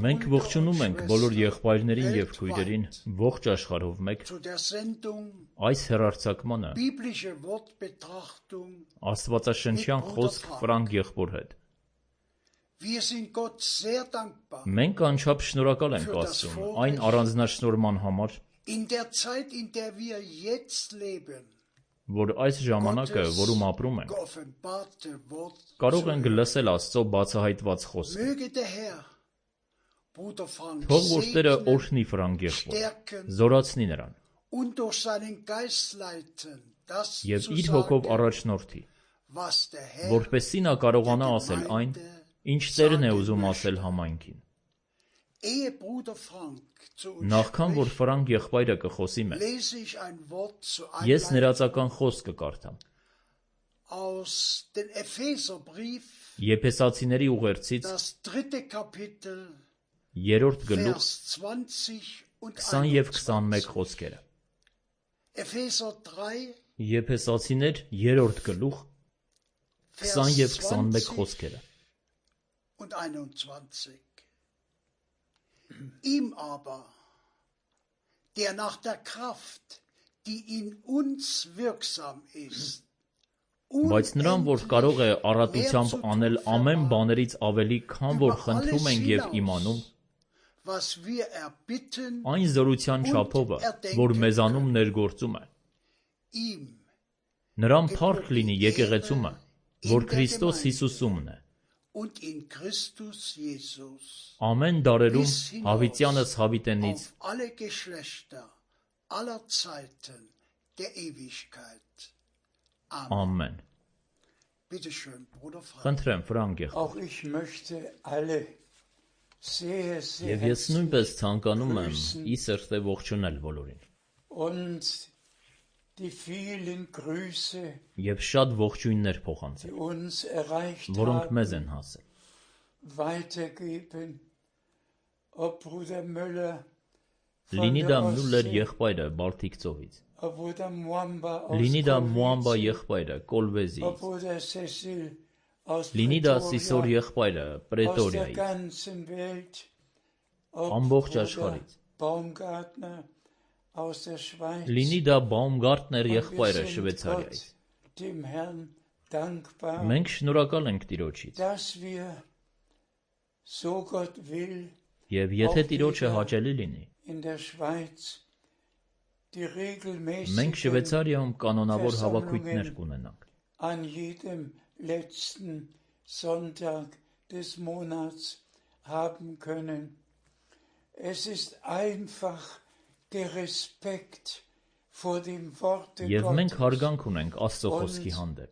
Մենք ողջունում ենք բոլոր եղբայրներին և քույրերին ողջ աշխարհով մեկ այս հեռարձակմանը Աստվածաշնչյան խոսք Ֆրանկ եղբոր հետ։ Մենք անչափ շնորհակալ ենք Աստծուն այն առանձնաշնորհման համար, որ այս ժամանակը, որում ապրում ենք, կարող ենք լսել Աստծո բացահայտված խոսքը։ Թող որ Տերը օրհնի Ֆրանկ եղբորը, զորացնի նրան և իր հոգով առաջնորդի, որպեսզի նա կարողանա ասել այն, ինչ Տերն է ուզում ասել համայնքին։ Նախքան որ Ֆրանկ եղբայրը կխոսի մեզ, ես ներածական խոսք կկարդամ Եփեսացիների ուղերձից 3-րդ գլուխ 20 և 21 խոսքերը։ Եփեսացիներ 3-րդ գլուխ 20 և 21 խոսքերը։ Ihm aber, der nach der Kraft, die in uns wirksam ist, Բայց նրան, որ կարող է առատությամբ անել ամեն բաներից ավելի, քան որ խնդրում ենք և իմանում, այն զորության չափովը, որ մեզանում ներգործում է, նրան փառք լինի եկեղեցումը, որ Քրիստոս Հիսուսումն է, ամեն դարերում հավիտյանս հավիտենից, ամեն։ Խնդրեմ, Ֆրանկ եղբայր։ Եվ ես նույնպես ցանկանում եմ ի սրտե ողջունել բոլորին և շատ ողջույններ փոխանցել, որոնք մեզ են հասել։ Լինի դա Մյուլլեր եղբայրը Բալթիկ ծովից, լինի դա Մուամբա եղբայրը Կոլվեզից, լինի դա Սիսոր եղբայրը Պրետորիայից, ամբողջ աշխարհից, լինի դա Բաումգարտներ եղբայրը Շվեյցարիայից։ Մենք շնորհակալ ենք Տիրոջից, և եթե Տիրոջը հաճելի լինի, մենք Շվեյցարիայում կանոնավոր հավաքույթներ կունենանք։ Եվ մենք հարգանք ունենք Աստծո խոսքի հանդեպ։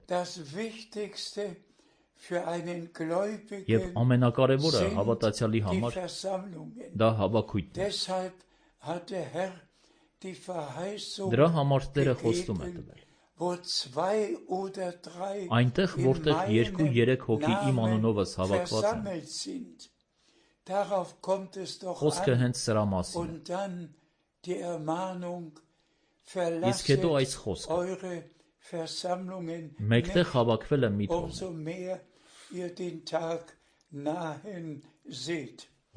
Եվ ամենակարևորը հավատացյալի համար դա հավաքույթն է։ Դրա համար Տերը խոստում է տվել. այնտեղ, որտեղ 2-3 հոգի իմ անունովս հավաքված են, խոսքը հենց սրա մասին է։ Իսկ հետո այս խոսքը. մեկտեղ հավաքվելը մի տոն է,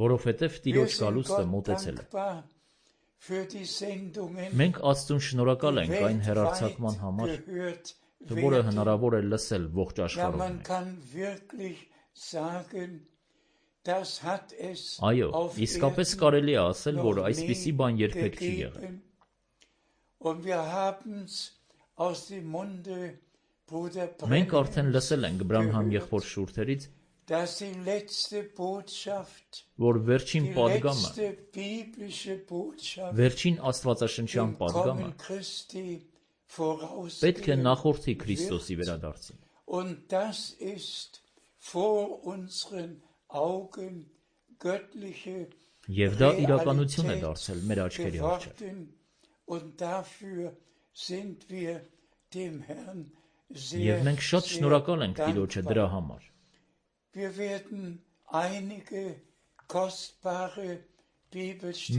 որովհետև Տիրոջ գալուստը մոտեցել է։ Մենք Աստծուն շնորհակալ ենք այն հեռարձակման համար, որը հնարավոր է լսել ողջ աշխարհով։ Այո, իսկապես կարելի է ասել, որ այսպիսի բան երբեք չի եղել։ Մենք արդեն լսել ենք Բրանհամ եղբոր շուրթերից, որ վերջին պատգամը, վերջին աստվածաշնչյան պատգամը պետք է նախորդի Քրիստոսի վերադարձին։ Եվ դա իրականություն է դարձել մեր աչքերի առջև։ Եվ մենք շատ շնորհակալ ենք Տիրոջը դրա համար։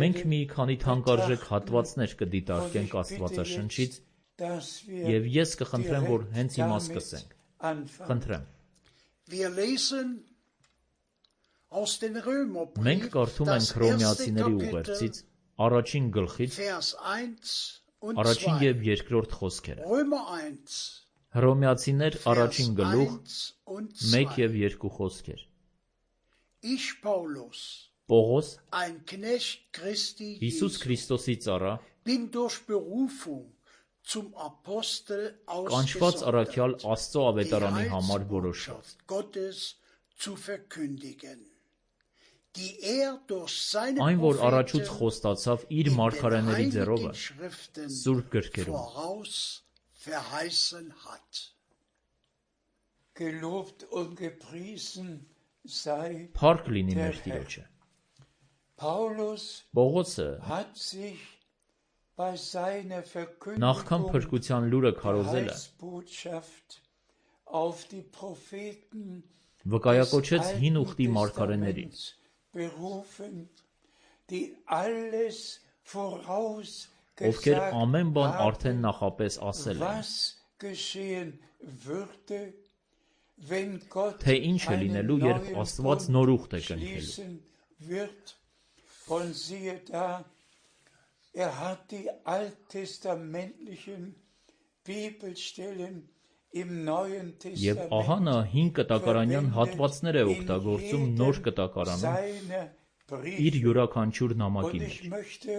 Մենք մի քանի թանկարժեք հատվածներ կդիտարկենք Աստվածաշնչից, և ես կխնդրեմ, որ հենց հիմա սկսենք։ Խնդրեմ։ Aus den Römerbrief, Մենք կարդում ենք das Հռոմեացիների erste ուղերձից Kapitel, առաջին գլխից Vers 1 und առաջին 2. եւ երկրորդ խոսքերը։ Römer 1, Հռոմեացիներ Vers առաջին գլուխ 1 und 1 2. եւ 2 խոսքեր։ Ich, Paulus, Պողոս, ein Knecht Christi Հիսուս Jesu, Քրիստոսի ծառա, bin durch Berufung zum Apostel կանչված առաքյալ ausgesondert, Աստծո die ավետարանի համար որոշված, Heilsbotschaft Gottes zu verkündigen, die durch seine այն որ առաջուց Propheten խոստացավ իր in den մարգարեների ձեռովը heiligen Schriften Սուրբ գրքերում։ voraus verheißen hat. Gelobt und gepriesen sei Փառք լինի der մեր Herr. Տիրոջը։ Paulus Պողոսը hat sich bei seiner նախքան Verkündigung փրկության լուրը der քարոզելը Heilsbotschaft auf die Propheten վկայակոչեց des հին Alten ուխտի մարգարեներին, Testaments berufen, die alles ովքեր vorausgesagt ամեն բան արդեն haben, նախապես ասել են, was geschehen würde, wenn Gott թե ինչ է einen լինելու, երբ neuen Աստված Bund նոր ուխտ է կնքելու։ schließen wird. Und siehe da, hat die alttestamentlichen Bibelstellen im Neuen Եվ ահա նա Testament հին կտակարանյան հատվածներ է օգտագործում նոր կտակարանում seiner իր Briefe. յուրաքանչյուր նամակի Und մեջ։ ich möchte,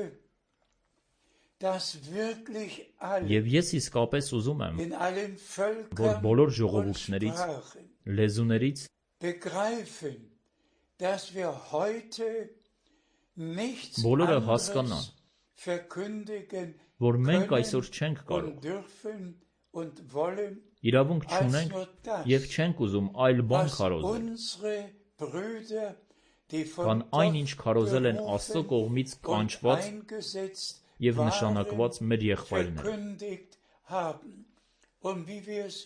dass wirklich alle Եվ ես իսկապես ուզում եմ, in allen որ Völkern բոլոր und ժողովուրդներից, Sprachen լեզուներից begreifen, dass wir heute nichts բոլորը anderes հասկանան, verkündigen որ մենք können այսօր չենք und կարող, dürfen und wollen, իրավունք als չունենք nur das, եւ չենք ուզում այլ բան was քարոզել, unsere Brüder, die քան von այն Gott ինչ քարոզել են Աստծո berufen կողմից und կանչված eingesetzt եւ waren, նշանակված մեր եղբայրները։ verkündigt haben. Und wie wir es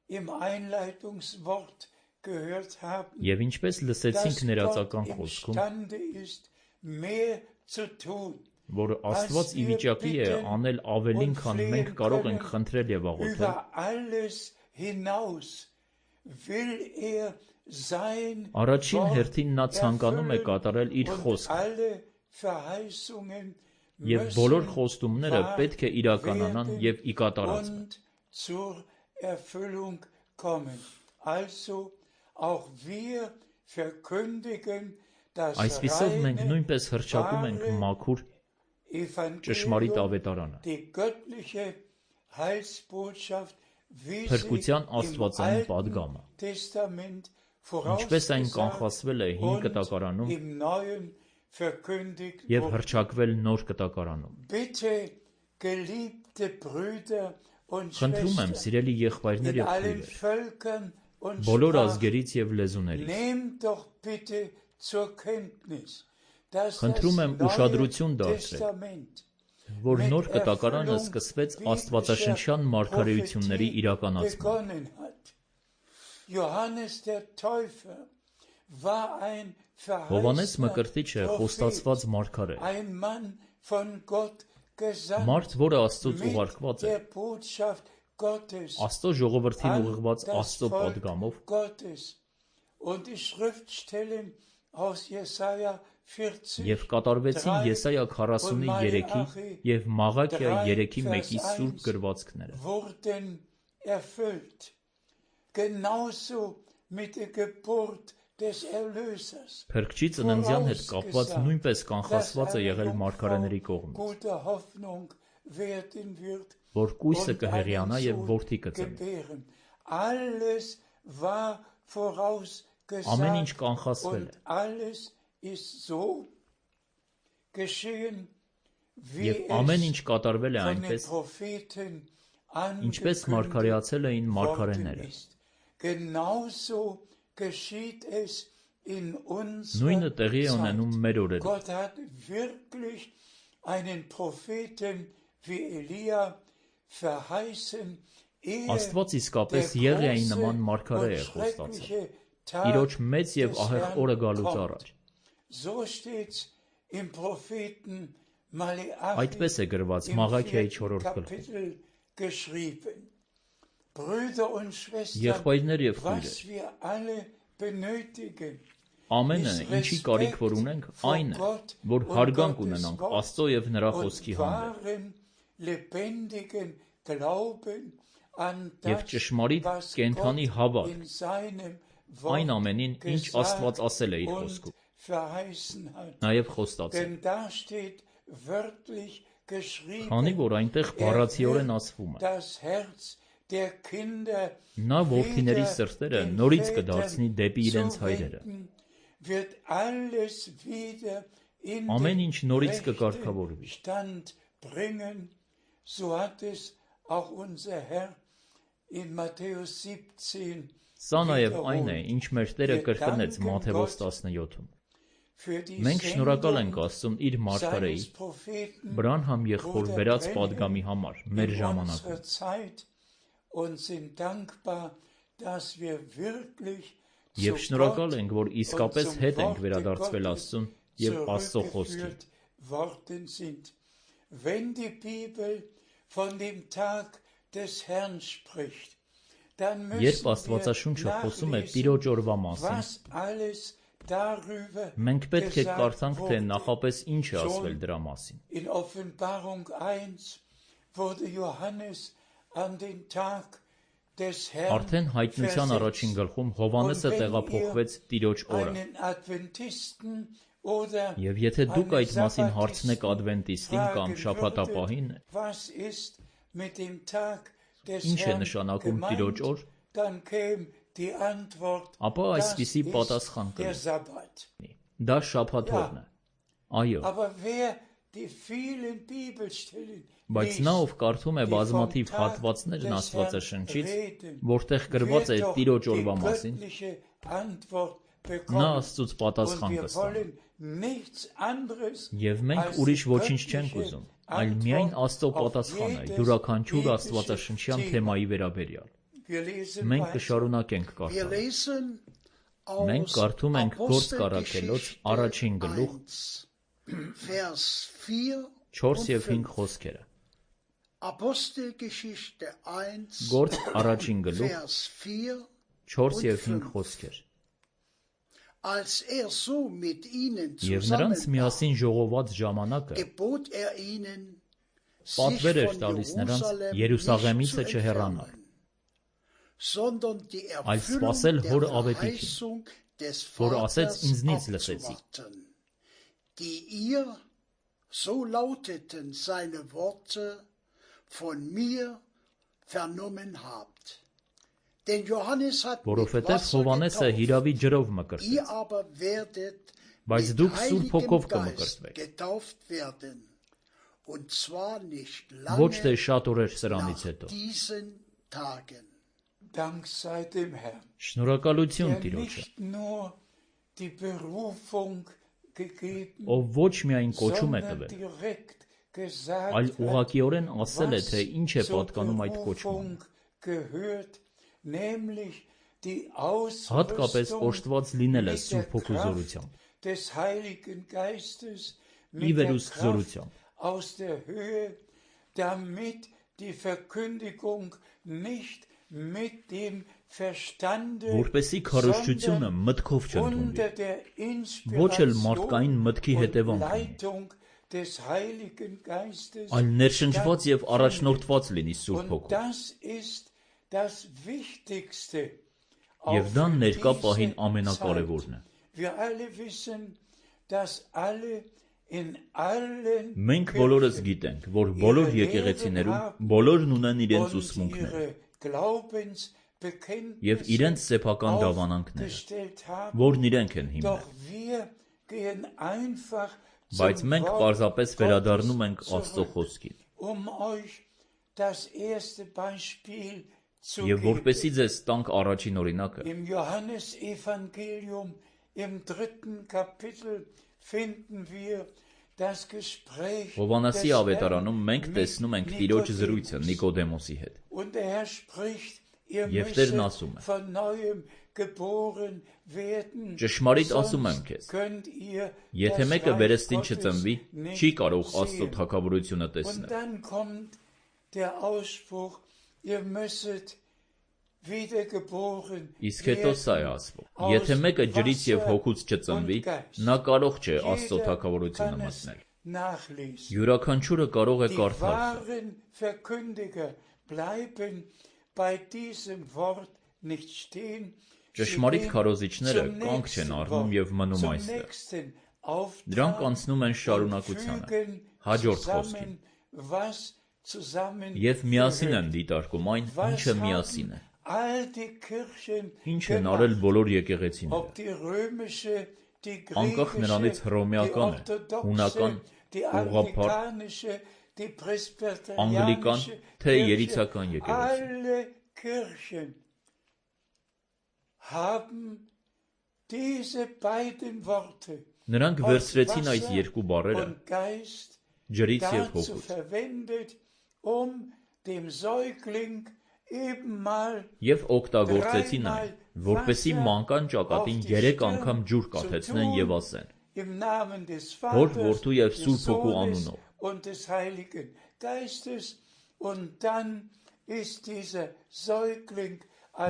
im Einleitungswort gehört haben, Եվ ինչպես լսեցինք dass Gott ներածական խոսքում, imstande ist, mehr zu tun, որ Աստված ի վիճակի է անել ավելին, քան մենք կարող ենք խնդրել եւ աղոթել, über alles hinaus will sein առաջին Wort հերթին նա ցանկանում է erfüllen կատարել իր und խոսքը, alle Verheißungen եւ բոլոր müssen խոստումները wahr պետք է իրականանան werden եւ ի կատարածվեն։ und zur Erfüllung kommen. Also auch wir verkündigen das Այսպիսով մենք reine, նույնպես հռչակում ենք wahre մաքուր ճշմարիտ Evangelium, ավետարանը, die göttliche Heilsbotschaft, wie Փրկության sie im աստվածային Alten պատգամը, Testament ինչպես այն vorausgesagt կանխատեսվել է հին und կտակարանում im Neuen verkündigt եւ wurde. հռչակվել նոր կտակարանում։ Bitte, geliebte Brüder und Խնդրում եմ, Schwestern, սիրելի եղբայրներ in եւ allen քույրեր, Völkern und բոլոր Sprachen, ազգերից եւ լեզուներից, nehmt doch bitte zur Kenntnis, dass das խնդրում եմ ուշադրություն Neue դարձրել, Testament որ նոր կտակարանը սկսվեց աստվածաշնչյան մարգարեությունների իրականացման։ begonnen hat. Johannes der Täufer war ein Հովհաննես verheißener Մկրտիչը խոստացված մարգար է, ein Mann von Gott gesandt, մարդ, որը Աստծոց mit ուղարկված է, der Botschaft Gottes Աստծո ժողովրդին an ուղղված das Աստծո Volk պատգամով, Gottes. Und die Schriftstellen aus Jesaja 40 եւ կատարվեցին Եսայա 43-ի եւ Մաղաքիա 3:1-ի սուրբ գրվածքները։ wurden erfüllt. Genauso mit der Geburt des Erlösers. Փրկչի ծննդյան հետ կապված նույնպես կանխատեսված է եղել մարգարեների կողմից, Gute Hoffnung werden wird որ կույսը und կհեղիանա einen եւ Sohn որդի կծնի։ gebären. Alles war Ամեն ինչ vorausgesagt կանխատեսվել und է alles ist so geschehen, wie եւ ամեն ինչ es կատարվել է von den այնպես, Propheten ինչպես angekündigt մարգարեացել էին worden մարգարեները։ ist. Genauso geschieht es in Նույնը unserer տեղի է ունենում Zeit. մեր օրերում։ Gott hat wirklich einen Propheten wie Elia verheißen, Աստված իսկապես Եղիայի նման մարգարե է խոստացել, իրոջ մեծ եւ ահեղ օրը գալուց առաջ։ So steht's im Propheten Maleachi Այդպես է գրված im Մաղաքիայի 4. 4-րդ գլխում։ Kapitel geschrieben. Brüder und Schwestern, Եղբայրներ եւ was քույրեր, wir alle benötigen, Ամենը, ինչի կարիք որ ունենք, այն է, որ հարգանք ունենանք Աստծո եւ նրա խոսքի հանդեպ եւ ճշմարիտ կենդանի հավատք այն ամենին, ինչ Աստված ասել է իր խոսքում, նաեւ խոստացել։ Քանի որ այնտեղ բառացիորեն ասվում է. նա որդիների սրտերը նորից կդարձնի դեպի իրենց հայրերը։ Ամեն ինչ նորից կկարգավորվի։ Սա նաև այն է, ինչ մեր Տերը կրկնեց Մատթեոս 17-ում։ Մենք շնորհակալ ենք Աստծուն իր մարգարեի Բրանհամ եղբոր վերած պատգամի համար մեր ժամանակում։ Եվ շնորհակալ ենք, որ իսկապես հետ ենք վերադարձվել Աստծուն եւ Աստծո խոսքին։ Երբ Աստվածաշունչը խոսում է Տիրոջ օրվա մասին, մենք պետք է կարդանք, թե նախապես ինչ է ասվել դրա մասին։ Արդեն հայտնության առաջին գլխում Հովհաննեսը տեղափոխվեց Տիրոջ օրը։ Եվ եթե դուք այդ մասին հարցնեք ադվենտիստին կամ շաբաթապահին, ինչ է նշանակում Տիրոջ օր, ապա այսպիսի պատասխան կլինի. դա շաբաթ օրն է։ Այո։ Բայց նա, ով կարդում է բազմաթիվ հատվածներն Աստվածաշնչից, որտեղ գրված է Տիրոջ օրվա մասին, նա Աստծուց պատասխան կստանա։ Եվ մենք ուրիշ ոչինչ չենք ուզում, այլ միայն Աստծո պատասխանը յուրաքանչյուր աստվածաշնչյան թեմայի վերաբերյալ։ Մենք կշարունակենք կարդալ։ Մենք կարդում ենք Գործք առաքելոց առաջին գլուխ 4 եւ 5 խոսքերը։ Գործք առաջին գլուխ 4 եւ 5 խոսքեր։ Եվ նրանց միասին ժողոված ժամանակը պատվեր էր տալիս նրանց Երուսաղեմիցը չհեռանալ, այլ սպասել հոր ավետիքին, որ ասեց ինձնից լսեցի։ Որովհետև Հովհաննեսը հիրավի ջրով մկրտեց, բայց դուք Սուրբ Հոգով կմկրտվեք։ Ոչ թե շատ օրեր սրանից հետո։ Շնորհակալություն Տիրոջը, ով ոչ միայն կոչում է տվել, այլ ուղղակիորեն ասել է, թե ինչ է պատկանում այդ կոչմանը։ Հատկապես օժտված լինելը Սուրբ Հոգու զորությամբ, ի վերուստ զորությամբ, որպեսզի քարոզչությունը մտքով չընդունվի, ոչ էլ մարդկային մտքի հետևանք լինի, այլ ներշնչված եւ առաջնորդված լինի Սուրբ Հոգով։ Եվ դա ներկա պահին ամենակարևորն է։ Մենք բոլորս գիտենք, որ բոլոր եկեղեցիներում բոլորն ունեն իրենց ուսմունքները եւ իրենց սեփական դավանանքները, որն իրենք են հիմնել։ Բայց մենք պարզապես վերադառնում ենք Աստծո խոսքին։ Եվ որպեսզի ձեզ տանք առաջին օրինակը, Հովհաննեսի ավետարանում մենք տեսնում ենք Տիրոջ զրույցը Նիկոդեմոսի հետ։ Եվ Տերն ասում է. ճշմարիտ ասում եմ քեզ, եթե մեկը վերստին չծնվի, չի կարող Աստծո թագավորությունը տեսնել։ Իսկ հետո սա է ասվում. եթե մեկը ջրից և հոգուց չծնվի, նա կարող չէ Աստծո թագավորությունը մտնել։ Յուրաքանչյուրը կարող է կարդալ սա։ Ճշմարիտ քարոզիչները կանգ չեն առնում և մնում այստեղ։ Դրանք անցնում են շարունակությանը, հաջորդ խոսքին, և միասին են դիտարկում այն, ինչը միասին է։ Ինչ են արել բոլոր եկեղեցիները, անկախ նրանից հռոմեական է, հունական, ուղղափառ, անգլիկան, թե երիցական եկեղեցի։ Նրանք վերցրեցին այս երկու բառերը ջրից և հոգուց և օգտագործեցին այն, որպեսզի մանկան ճակատին 3 անգամ ջուր կաթեցնեն և ասեն. Հոր, Որդու և Սուրբ Հոգու անունով։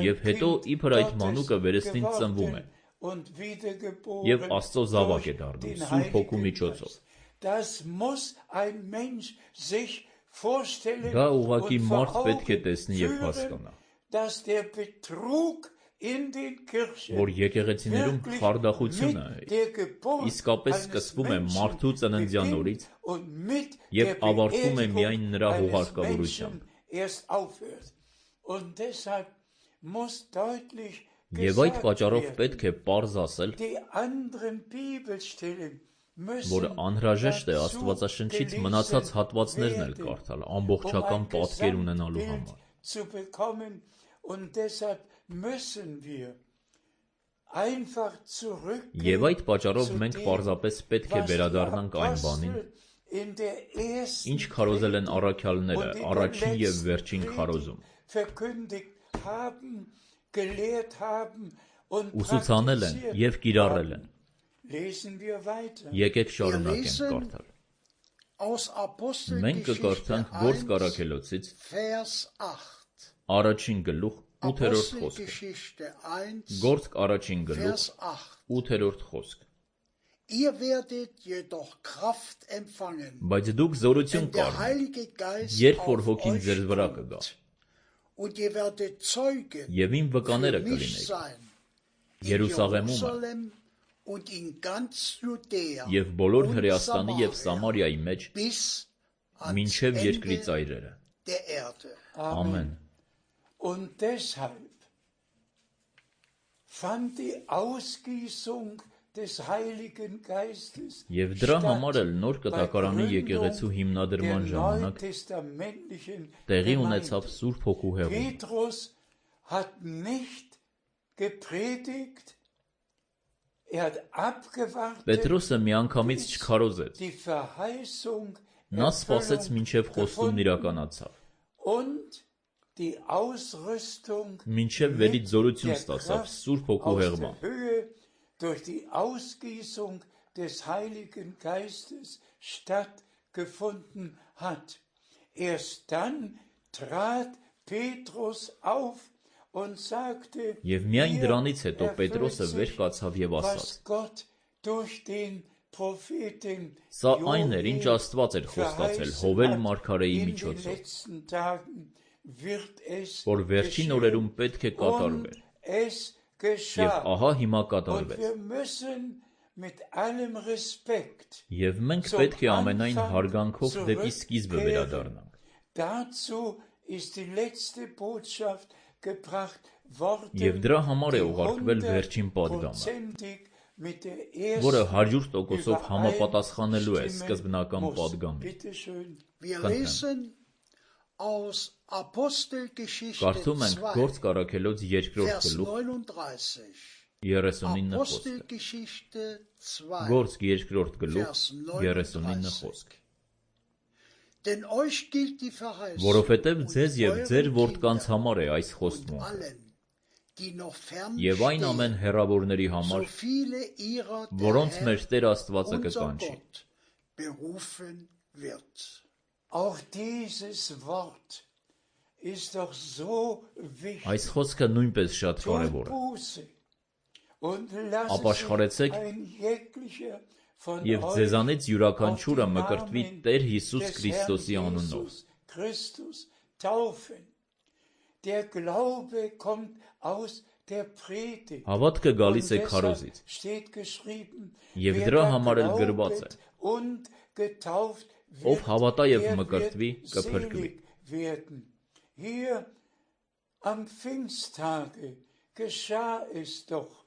Եվ հետո իբր այդ մանուկը վերստին ծնվում է և Աստծո զավակ է դառնում Սուրբ Հոգու միջոցով։ Դա ուղղակի մարդ պետք է տեսնի և հասկանա, որ եկեղեցիներում խարդախությունը իսկապես սկսվում է մարդու ծննդյան օրից և ավարտվում է միայն նրա հուղարկավորությամբ։ Եվ այդ պատճառով պետք է պարզ ասել, որ անհրաժեշտ է Աստվածաշնչից մնացած հատվածներն էլ կարդալ ամբողջական պատկեր ունենալու համար։ Եվ այդ պատճառով մենք պարզապես պետք է վերադառնանք այն բանին, ինչ քարոզել են առաքյալները առաջին և վերջին քարոզում, ուսուցանել են և կիրառել են։ Եկեք շարունակենք կարդալ։ Մենք կկարդանք Գործք Առաքելոցից առաջին գլուխ 8-րդ խոսքը։ Գործք առաջին գլուխ 8-րդ խոսք։ Բայց դուք զորություն կառնեք, երբ որ Հոգին ձեզ վրա կգա, և իմ վկաները կլինեք Երուսաղեմում և բոլոր Հրեաստանի և Սամարիայի մեջ մինչև երկրի ծայրերը։ Ամեն։ Եվ դրա համար էլ Նոր Կտակարանի եկեղեցու հիմնադրման ժամանակ տեղի ունեցավ Սուրբ Հոգու հեղումը։ Պետրոսը միանգամից չքարոզեց։ Նա սպասեց մինչև խոստումն իրականացավ, մինչև վերից զորություն ստացավ Սուրբ Հոգու հեղմամբ։ Եվ միայն դրանից հետո Պետրոսը վեր կացավ և ասաց. Սա այն էր, ինչ Աստված էր խոստացել Հովել մարգարեի միջոցով, որ վերջին օրերում պետք է կատարվեր, և ահա հիմա կատարվեց։ Եվ մենք պետք է ամենայն հարգանքով դեպի սկիզբը վերադառնանք։ Եվ դրա համար է ուղարկվել վերջին պատգամը, որը 100% համապատասխանելու է սկզբնական պատգամին։ Կարդում ենք Գործք Առաքելոց 2-րդ գլուխ 39 խոսքը։ Գործք 2-րդ գլուխ 39 խոսք։ Որովհետև ձեզ և ձեր որդկանց համար է այս խոստմունքը, և այն ամեն հեռավորների համար, որոնց մեր Տեր Աստվածը կկանչի։ ist doch so wichtig. Այս խոսքը նույնպես շատ կարևոր է։ Ապաշխարեցեք և ձեզանից յուրաքանչյուրը մկրտվի Տեր Հիսուս Քրիստոսի անունով։ Հավատքը գալիս է քարոզից, և դրա համար էլ գրված է. ով հավատա և մկրտվի, կփրկվի։ Hier am Pfingsttage geschah es doch,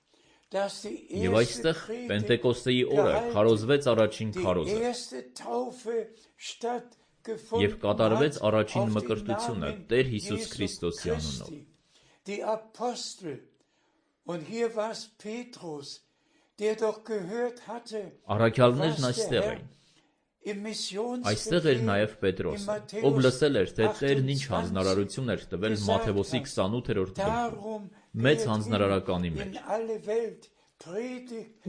dass die Եվ այստեղ Պենտեկոստեի օրը քարոզվեց առաջին քարոզը և կատարվեց առաջին մկրտությունը Տեր Հիսուս Քրիստոսի անունով։ Die Apostel, und hier war es Petrus, der doch gehört hatte, Առաքյալներն այստեղ էին։ Այստեղ էր նաև Պետրոսը, ով լսել էր, թե Տերն ինչ հանձնարարություն էր տվել Մատթեոսի 28-րդ գլխում, մեծ հանձնարարականի մեջ։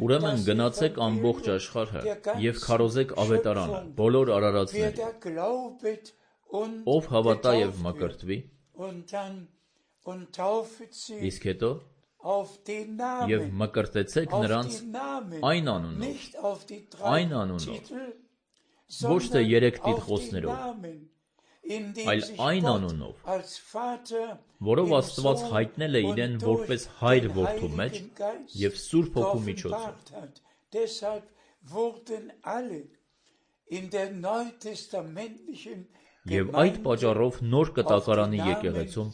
Ուրեմն գնացեք ամբողջ աշխարհը և քարոզեք ավետարանը բոլոր արարածներին, ով հավատա և մկրտվի, իսկ հետո և մկրտեցեք նրանց այն անունով, ոչ թե 3 տիտղոսներով, այլ այն անունով, որով Աստված հայտնել է իրեն որպես Հայր որդու մեջ և Սուրբ Հոգու միջոցով։ Եվ այդ պատճառով նոր կտակարանի եկեղեցում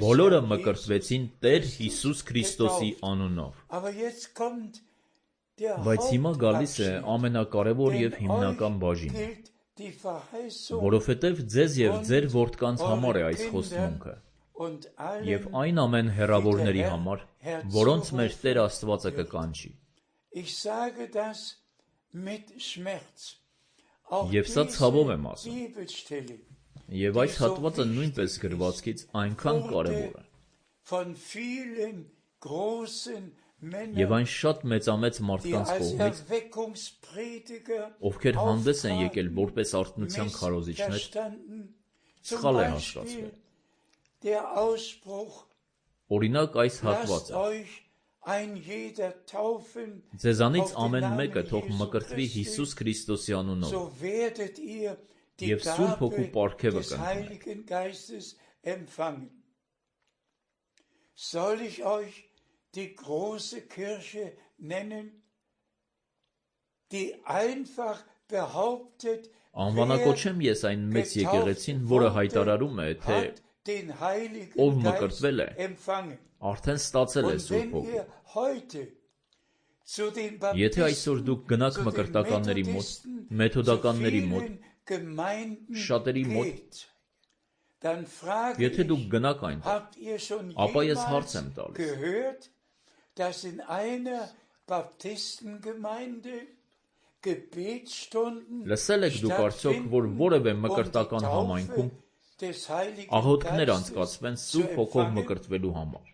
բոլորը մկրտվեցին Տեր Հիսուս Քրիստոսի անունով։ Բայց հիմա գալիս է ամենակարևոր և հիմնական բաժինը, որովհետև ձեզ և ձեր որդկանց համար է այս խոստմունքը, և այն ամեն հեռավորների համար, որոնց մեր Տեր Աստվածը կկանչի։ Եվ սա ցավով եմ ասում, և այս հատվածը նույնպես գրվածքից այնքան կարևոր է։ Եվ այն շատ մեծամեծ մարդկանց կողմից, ովքեր հանդես են եկել որպես արթնության քարոզիչներ, սխալ է հասկացվել։ Օրինակ այս հատվածը. ձեզանից ամեն մեկը թող մկրտվի Հիսուս Քրիստոսի անունով և Սուրբ Հոգու պարգևը կընդունեք։ Die große Kirche nennen, die einfach behauptet, Անվանակոչեմ ես այն մեծ եկեղեցին, որը հայտարարում է, թե ով մկրտվել է, արդեն ստացել է Սուրբ Հոգու։ Եթե այսօր դուք գնաք մկրտականների մոտ, մեթոդականների մոտ, շատերի մոտ, եթե դուք գնաք այնտեղ, ապա ես հարց եմ տալիս. լսել եք դուք արդյոք, որ որևէ մկրտական համայնքում աղոթքներ անցկացվեն Սուրբ Հոգով մկրտվելու համար։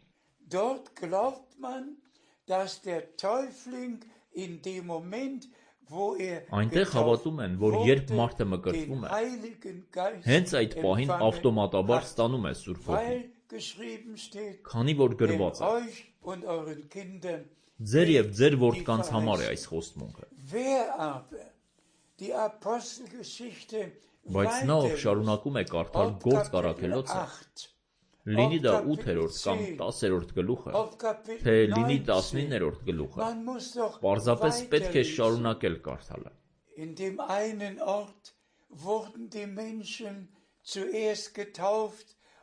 Այնտեղ հավատում են, որ երբ մարդը մկրտվում է, հենց այդ պահին ավտոմատաբար ստանում է Սուրբ Հոգին, քանի որ գրված է. ձեր և ձեր որդկանց համար է այս խոստմունքը։ Բայց նա, ով շարունակում է կարդալ Գործք առաքելոցը, լինի դա 8-րդ կամ 10-րդ գլուխը, թե լինի 19-րդ գլուխը, պարզապես պետք է շարունակել կարդալը։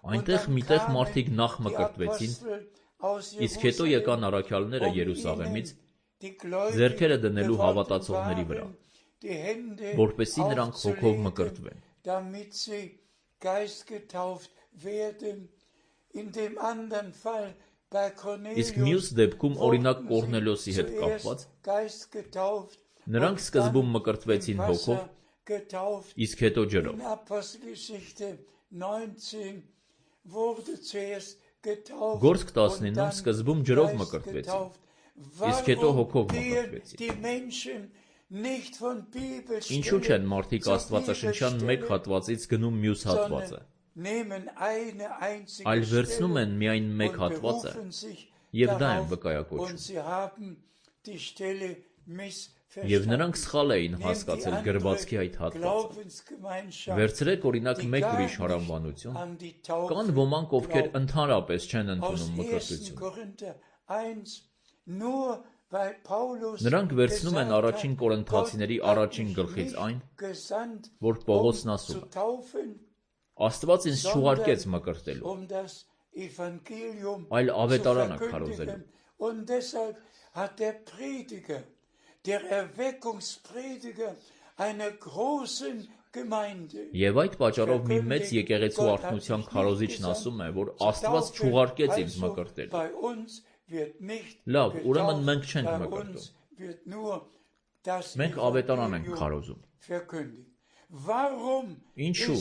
Այնտեղ միտեղ մարդիկ նախ մկրտվեցին, իսկ հետո եկան առաքյալները Երուսաղեմից, ձեռքերը դնելու հավատացողների վրա, որպեսզի նրանք Հոգով մկրտվեն։ Իսկ մյուս դեպքում, օրինակ Կոռնելիոսի հետ կապված, նրանք սկզբում մկրտվեցին Հոգով, իսկ հետո ջրով։ Գործք 19-ում սկզբում ջրով մկրտվեցին, իսկ հետո Հոգով մկրտվեցին։ Ինչու չեն մարդիկ աստվածաշնչյան մեկ հատվածից գնում մյուս հատվածը, այլ վերցնում են միայն մեկ հատվածը և դա են վկայակոչում։ Եվ նրանք սխալ էին հասկացել գրվածքի այդ հատվածը։ Վերցրեք օրինակ մեկ ուրիշ հարանվանություն, կան ոմանք, ովքեր ընդհանրապես չեն ընդունում մկրտություն։ Նրանք վերցնում են առաջին Կորինթացիների առաջին գլխից այն, որ Պողոսն ասում է. Աստված ինձ չուղարկեց մկրտելու, այլ ավետարանը քարոզելու։ Եվ այդ պատճառով մի մեծ եկեղեցու արթնության քարոզիչն ասում է, որ Աստված չուղարկեց ինձ մկրտելու։ Լավ, ուրեմն մենք չենք մկրտում։ Մենք ավետարան ենք քարոզում։ Ինչու՞։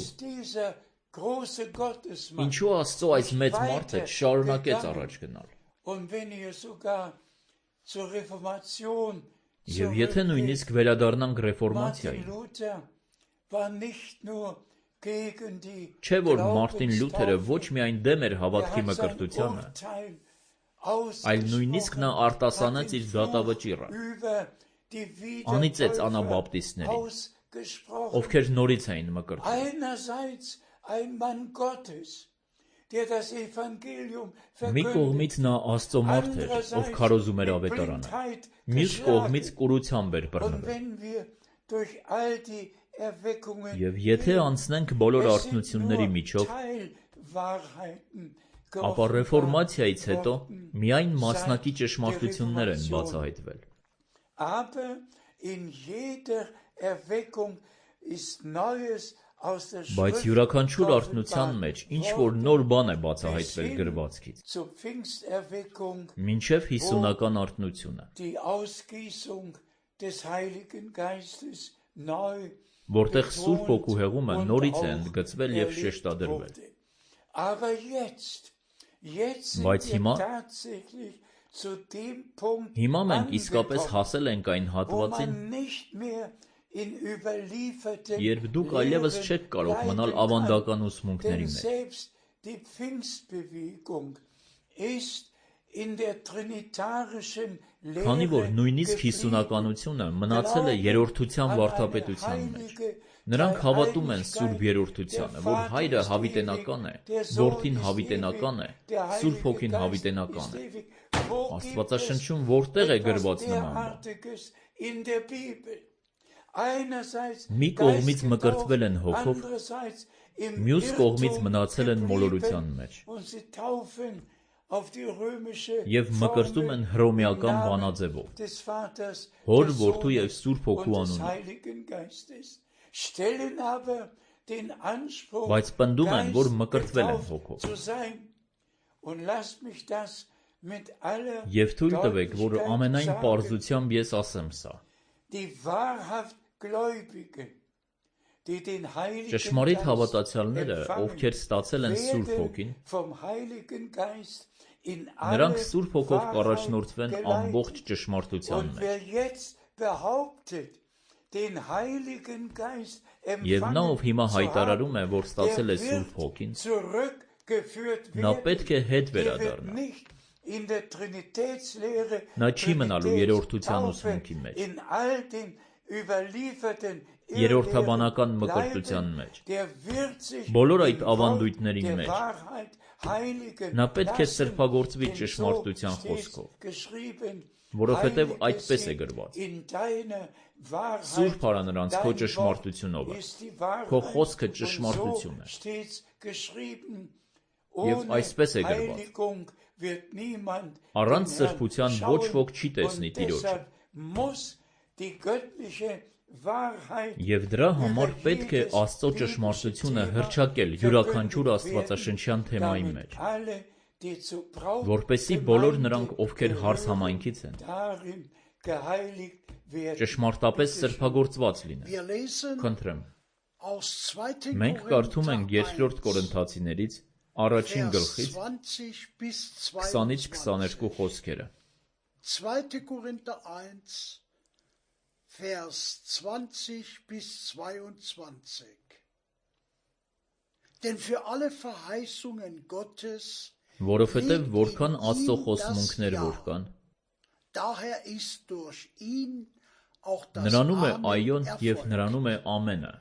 Ինչու Աստծո այս մեծ մարդը շարունակեց առաջ գնալ։ Եվ եթե նույնիսկ վերադառնանք ռեֆորմացիային, չէ՞ որ Մարտին Լյութերը ոչ միայն դեմ էր հավատքի մկրտությանը, այլ նույնիսկ նա արտասանեց իր դատավճիռը, անիծեց անաբապտիստներին, ովքեր նորից էին մկրտում։ Մի կողմից նա Աստծո մարդ էր, ով քարոզում էր ավետարանը, մյուս կողմից կուրությամբ էր բռնվել։ Եվ եթե անցնենք բոլոր արթնությունների միջով, ապա ռեֆորմացիայից հետո միայն մասնակի ճշմարտություններ են բացահայտվել։ Բայց յուրաքանչյուր արթնության մեջ ինչ-որ նոր բան է բացահայտվել գրվածքից, մինչև 50-ական արթնությունը, որտեղ Սուրբ Հոգու հեղումը նորից է ընդգծվել և շեշտադրվել։ Բայց հիմա մենք իսկապես հասել ենք այն հատվածին, երբ դուք այլևս չեք կարող մնալ ավանդական ուսմունքների մեջ։ Քանի որ նույնիսկ 50-ականությունը մնացել է երրորդության վարդապետության մեջ, նրանք հավատում են Սուրբ Երրորդությանը, որ Հայրը հավիտենական է, Որդին հավիտենական է, Սուրբ Հոգին հավիտենական է։ Աստվածաշնչում որտեղ է գրված նման բան։ Մի կողմից մկրտվել են հոգով, մյուս կողմից մնացել են մոլորության մեջ և մկրտում են հռոմեական բանաձևով, Հոր, Որդու և Սուրբ Հոգու անունով, բայց պնդում են, որ մկրտվել են հոգով։ Եվ թույլ տվեք, որ ամենայն պարզությամբ ես ասեմ սա. ճշմարիտ հավատացյալները, ովքեր ստացել են Սուրբ Հոգին, նրանք Սուրբ Հոգով կառաջնորդվեն ամբողջ ճշմարտության մեջ։ Եվ նա, ով հիմա հայտարարում է, որ ստացել է Սուրբ Հոգին, նա պետք է հետ վերադառնա։ Նա չի մնալու երրորդության ուսմունքի մեջ, երրորդաբանական մկրտության մեջ, բոլոր այդ ավանդույթների մեջ։ Նա պետք է սրբագործվի ճշմարտության խոսքով, որովհետև այդպես է գրված. Սուրբ արա նրանց քո ճշմարտությունով, քո խոսքը ճշմարտություն է։ Եվ այսպես է գրված. առանց սրբության ոչ ոք չի տեսնի Տիրոջը։ Եվ դրա համար պետք է Աստծո ճշմարտությունը հռչակել յուրաքանչյուր աստվածաշնչյան թեմայի մեջ, որպեսզի բոլոր նրանք, ովքեր հարսհամայնքից են, ճշմարտապես սրբագործված լինեն։ Խնդրեմ, մենք կարդում ենք երկրորդ Կորինթացիներից առաջին գլխից 20-ից 22 խոսքերը։ 2. Korinther 1, Vers 20 bis 22. Denn für alle Verheißungen Gottes Որովհետև որքան Աստծո խոստմունքներ որ կան, daher ist durch ihn auch das նրանում է Amen այոն եւ erfolgt. նրանում է ամենը,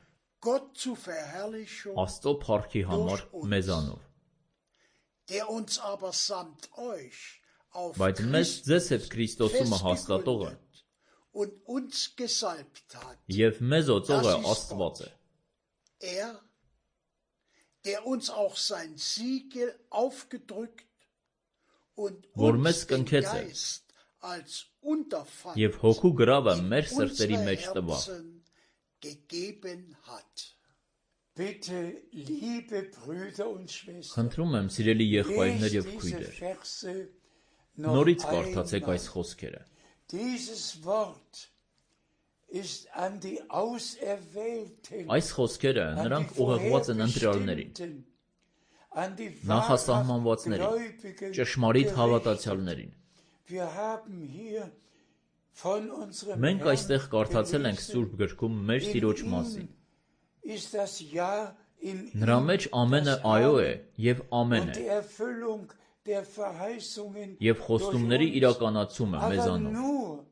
Gott zu Verherrlichung, Աստծո փառքի համար մեզանով, der uns aber samt euch auf բայց մեզ ձեզ հետ Քրիստոսումը հաստատողը festgegründet und uns gesalbt hat. եւ մեզ օծողը Աստված է, Der uns auch sein Siegel aufgedrückt und Որ uns մեզ den կնքեց է Geist als Unterpfand եւ հոգու գրավը in մեր սրտերի unsere մեջ տվավ։ Herzen gegeben hat. Bitte, liebe Brüder und Schwestern, Խնդրում եմ, սիրելի եղբայրներ եւ lest diese քույրեր, Verse նորից noch կարդացեք այս einmal. խոսքերը։ Dieses Wort ist an die Auserwählten, Այս խոսքերը an նրանք die ուղղված են ընտրյալներին, Vorherbestimmten, an die նախասահմանվածներին, wahrhaft ճշմարիտ Gläubigen հավատացյալներին։ Wir haben hier von unserem Մենք Herrn այստեղ կարդացել ենք gelesen, Սուրբ գրքում մեր in Տիրոջ ihm մասին։ ist das Ja, in Նրա ihm մեջ ամենը das այո է Amen եւ ամեն und է, die Erfüllung der Verheißungen եւ խոստումների durch uns. իրականացումը Aber մեզանով։ nur,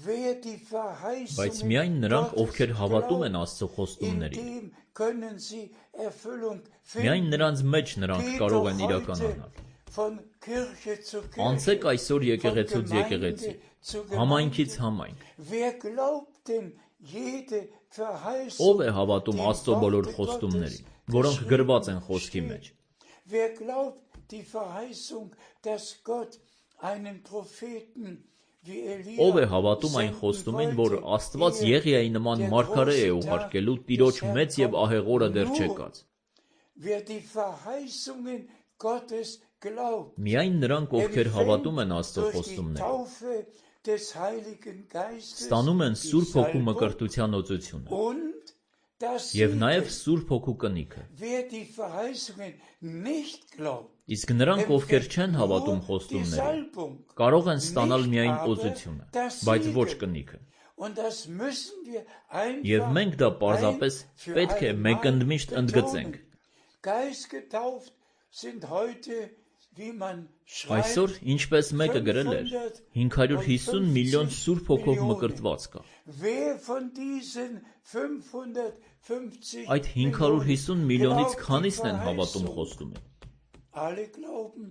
wer die Բայց Verheißungen միայն նրանք, Gottes ովքեր հավատում են glaubt, Աստծո in խոստումներին, dem können sie Erfüllung միայն finden. նրանց մեջ նրանք Geht կարող doch են heute իրականանալ։ von Kirche zu Անցեք Kirche, այսօր von եկեղեցուց Gemeinde եկեղեցի, zu համայնքից Gemeinde. համայնք։ Wer glaubt denn jede Verheißung, Ով է հավատում die Աստծո բոլոր Worte խոստումներին, Gottes որոնք գրված են geschrieben խոսքի steht? մեջ։ Wer glaubt die Verheißung, dass Gott einen Propheten wie Elia Ով է հավատում այն senden խոստումին, որ wollte, Աստված ehe Եղիայի նման der մարգարե է große ուղարկելու Tag Տիրոջ des Herrn մեծ եւ kommt? ահեղ օրը դեռ Nur չեկած։ wer die Verheißungen Gottes glaubt, Միայն նրանք, ովքեր հավատում են Աստծո durch die խոստումներին, Taufe des Heiligen Geistes ստանում են die Սուրբ Հոգու Salbung մկրտության օծությունը und das եւ նաեւ Siegel. Սուրբ Հոգու կնիքը։ Wer die Verheißungen nicht glaubt, Իսկ նրանք, ովքեր չեն հավատում nur die խոստումներին, Salbung. կարող են ստանալ Nicht միայն aber օծությունը, das բայց ոչ Siegel. կնիքը։ Und das müssen wir Եվ einfach մենք դա պարզապես ein für պետք է allemal մեկընդմիշտ ընդգծենք։ betonen. Geistgetauft sind heute, wie man Այսօր, schreibt, ինչպես մեկը գրել էր, 550 միլիոն Սուրբ Հոգով մկրտված կա։ Wer von diesen 550 Այդ 550 միլիոնից glaubt քանիսն die են հավատում Verheißung? խոստումին։ Alle glauben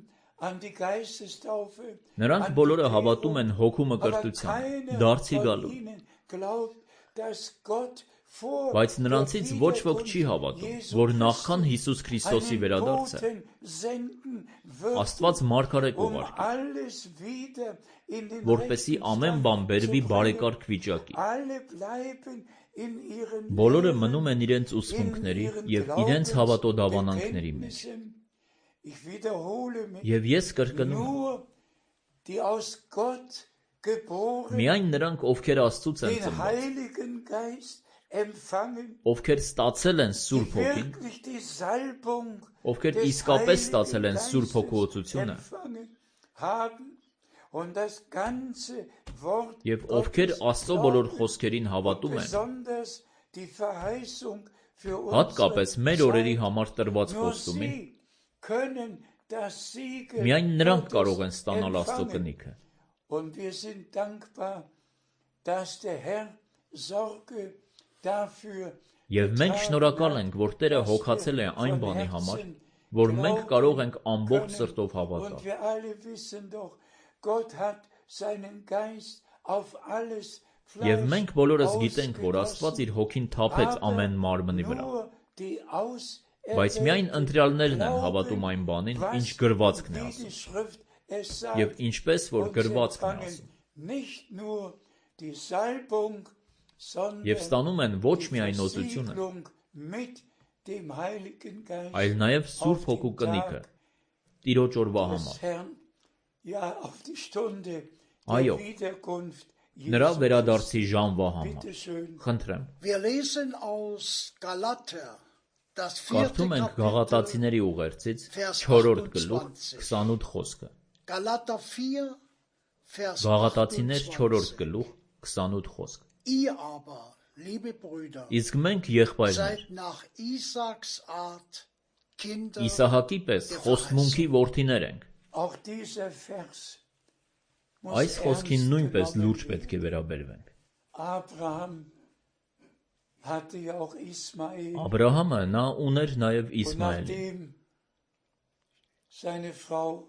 an die Geistestaufe, Նրանք an die բոլորը Bekehrung, հավատում են հոգու aber մկրտությանը, keiner դարձի von գալու։ ihnen glaubt, dass Gott vor Բայց der նրանցից ոչ ոք չի Wiederkunft հավատում, Jesu որ նախքան Christi Հիսուս Քրիստոսի einen վերադարձը Boten senden wird, Աստված մարգարե um կուղարկի, alles wieder in den որպեսզի rechten ամեն Stand բան zu բերվի bringen. բարեկարգ վիճակի։ Alle bleiben in ihren Բոլորը Lehren, մնում են իրենց in ուսմունքների ihren եւ իրենց հավատոդավանանքների մեջ։ Glaubensbekenntnissen. Ich wiederhole mich. Եվ ես կրկնում եմ, Nur die aus Gott geboren, միայն նրանք, ովքեր Աստծուց են den ծնված, Heiligen Geist empfangen, ովքեր ստացել են die Սուրբ Հոգին, wirklich die Salbung ովքեր des իսկապես ստացել Heiligen են Սուրբ Հոգու Geistes օծությունը, empfangen haben und das ganze Wort եւ ովքեր Gottes Աստծո բոլոր glauben խոսքերին und հավատում են, besonders die Verheißung für հատկապես unsere մեր օրերի Zeit. համար տրված Nur խոստումին, sie können das Siegel միայն նրանք Gottes կարող են ստանալ Աստծո empfangen. կնիքը։ Und wir sind dankbar, dass der Herr Sorge dafür Եվ մենք շնորհակալ ենք, որ Տերը հոգացել է այն բանի համար, որ մենք կարող ենք ամբողջ սրտով Und հավատալ։ wir alle wissen doch, Gott hat seinen Geist auf alles Եվ Fleisch մենք բոլորս գիտենք, որ Աստված ausgegossen, իր հոգին թափեց aber ամեն մարմնի վրա։ nur die Բայց միայն Auserwählten ընտրյալներն են glauben, հավատում այն բանին, was ինչ գրվածքն է wie ասում։ die Schrift es Եվ sagt. ինչպես որ Und sie գրվածքն է empfangen ասում։ nicht nur die Salbung, sondern Եվ ստանում են ոչ die միայն օծությունը, Versiegelung mit dem Heiligen Geist այլ նաև Սուրբ auf Հոգու den կնիքը, Tag Տիրոջ օրվա des համար։ Herrn, ja, auf die Stunde Այո, der Wiederkunft նրա Jesu վերադարձի Christi. ժամվա համար։ Bitte schön. Խնդրեմ, Wir lesen aus Galater, das 4. կարդում ենք Kapitel, Գաղատացիների ուղերձից Vers 4-րդ գլուխ 28. 28 խոսքը։ Galater 4, Vers Գաղատացիներ 4-րդ 28. գլուխ 28 խոսք։ Ihr aber, liebe Brüder, Իսկ մենք եղբայրներ, seid nach Isaaks Art Kinder Իսահակի պես der խոստմունքի Verheißung. որդիներ ենք։ Auch dieser Vers muss Այս խոսքին ernst նույնպես genommen լուրջ werden. պետք է վերաբերվենք։ Abraham hatte ja auch Ismael. Աբրահամը նա ուներ նաև Und Իսմայելին։ nachdem seine Frau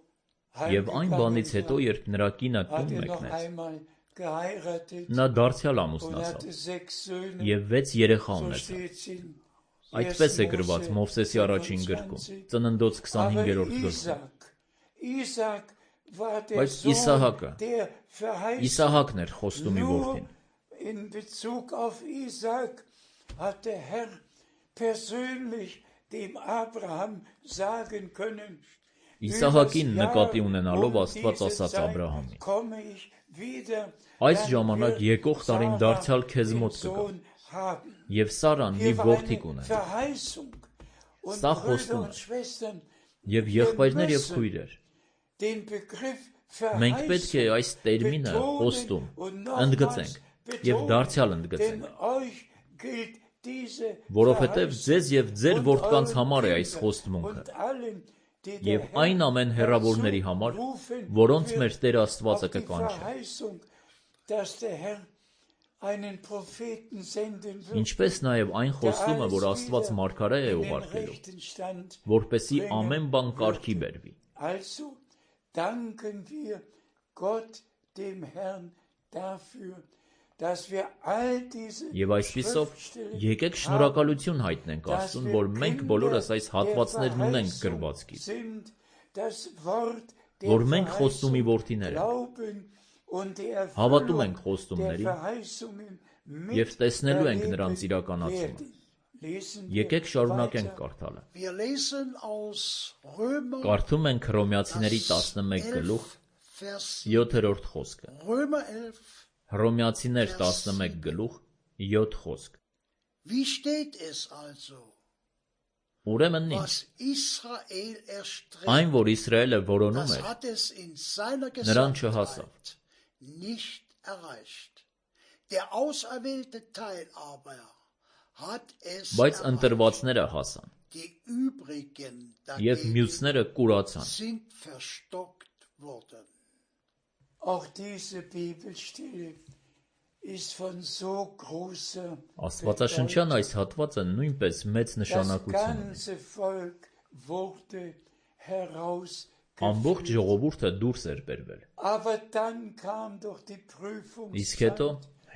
Եվ այն բանից heimgegangen հետո, war, երբ նրա կինը hat տուն er noch մեկնեց, einmal geheiratet նա դարձյալ und ամուսնացավ hatte 6 Söhne. եւ 6 երեխա So ունեցավ։ steht's in Այդպես է 1. գրված Mose Մովսեսի առաջին գրքում, 25. ծննդոց Aber 25-րդ գրքում։ Isaac war der Բայց Sohn Իսահակը, der Verheißung. Իսահակն էր խոստումի Nur որդին։ in Bezug auf Isaac hat der Herr persönlich dem Abraham sagen können, Իսահակին «Übers Jahr նկատի ունենալով um Աստված diese ասաց Zeit Աբրահամին. komme ich wieder, Այս dann ժամանակ wird եկող տարին Sarah դարձյալ քեզ den մոտ կգա, Sohn haben». եւ Սարան մի Hier war որդի eine կունենա։ Verheißung. Und Սա Brüder խոստում und է։ Schwestern, Եվ եղբայրներ եւ քույրեր, den Begriff մենք պետք է այս տերմինը խոստում ընդգծենք եւ դարձյալ Denn ընդգծենք, euch gilt diese որովհետեւ ձեզ եւ ձեր und որդկանց euren համար է այս Kindern խոստմունքը und allen, die der եւ Herr այն ամեն հեռավորների համար, herzurufen որոնց wird, մեր Տեր Աստվածը auf die կկանչի։ Verheißung, dass der Herr einen Propheten senden wird, Ինչպես նաեւ այն խոստումը, որ Աստված մարգարե է in den ուղարկելու, rechten Stand. որպեսի ամեն բան կարգի բերվի։ Also danken wir Gott, dem Herrn, dafür, dass wir all diese Եվ այսպիսով Schriftstellen եկեք շնորհակալություն հայտնենք Աստծուն, որ մենք բոլորս այս հատվածներն ունենք գրվածքի, sind, das Wort որ der մենք խոստումի Verheißung որդիներ ենք, glauben und die հավատում Erfüllung ենք der խոստումներին Verheißungen եւ տեսնելու ենք miterleben նրանց իրականացումը։ werden. Lesen wir Եկեք շարունակենք weiter. կարդալը։ Wir lesen aus Römer Կարդում ենք Հռոմեացիների 11 գլուխ 11, Vers 7-րդ խոսքը։ Römer 11. Հռոմեացիներ 11 գլուխ 7 խոսք։ Wie steht es also? Ուրեմն ինչ, Was Israel erstrebt, այն որ Իսրայելը որոնում das էր, hat es in seiner Նրան չհասավ։ Gesamtheit nicht erreicht. Der auserwählte Teil aber hat es բայց erreicht. ընտրվածները հասան, Die übrigen եւ dagegen մյուսները կուրացան։ sind verstockt worden. Auch diese Bibelstelle ist von so großer Աստվածաշնչյան այս հատվածը նույնպես մեծ Das նշանակություն ունի։ ganze Volk wurde herausgeführt. Ամբողջ ժողովուրդը դուրս էր բերվել։ Aber dann kam doch die Իսկ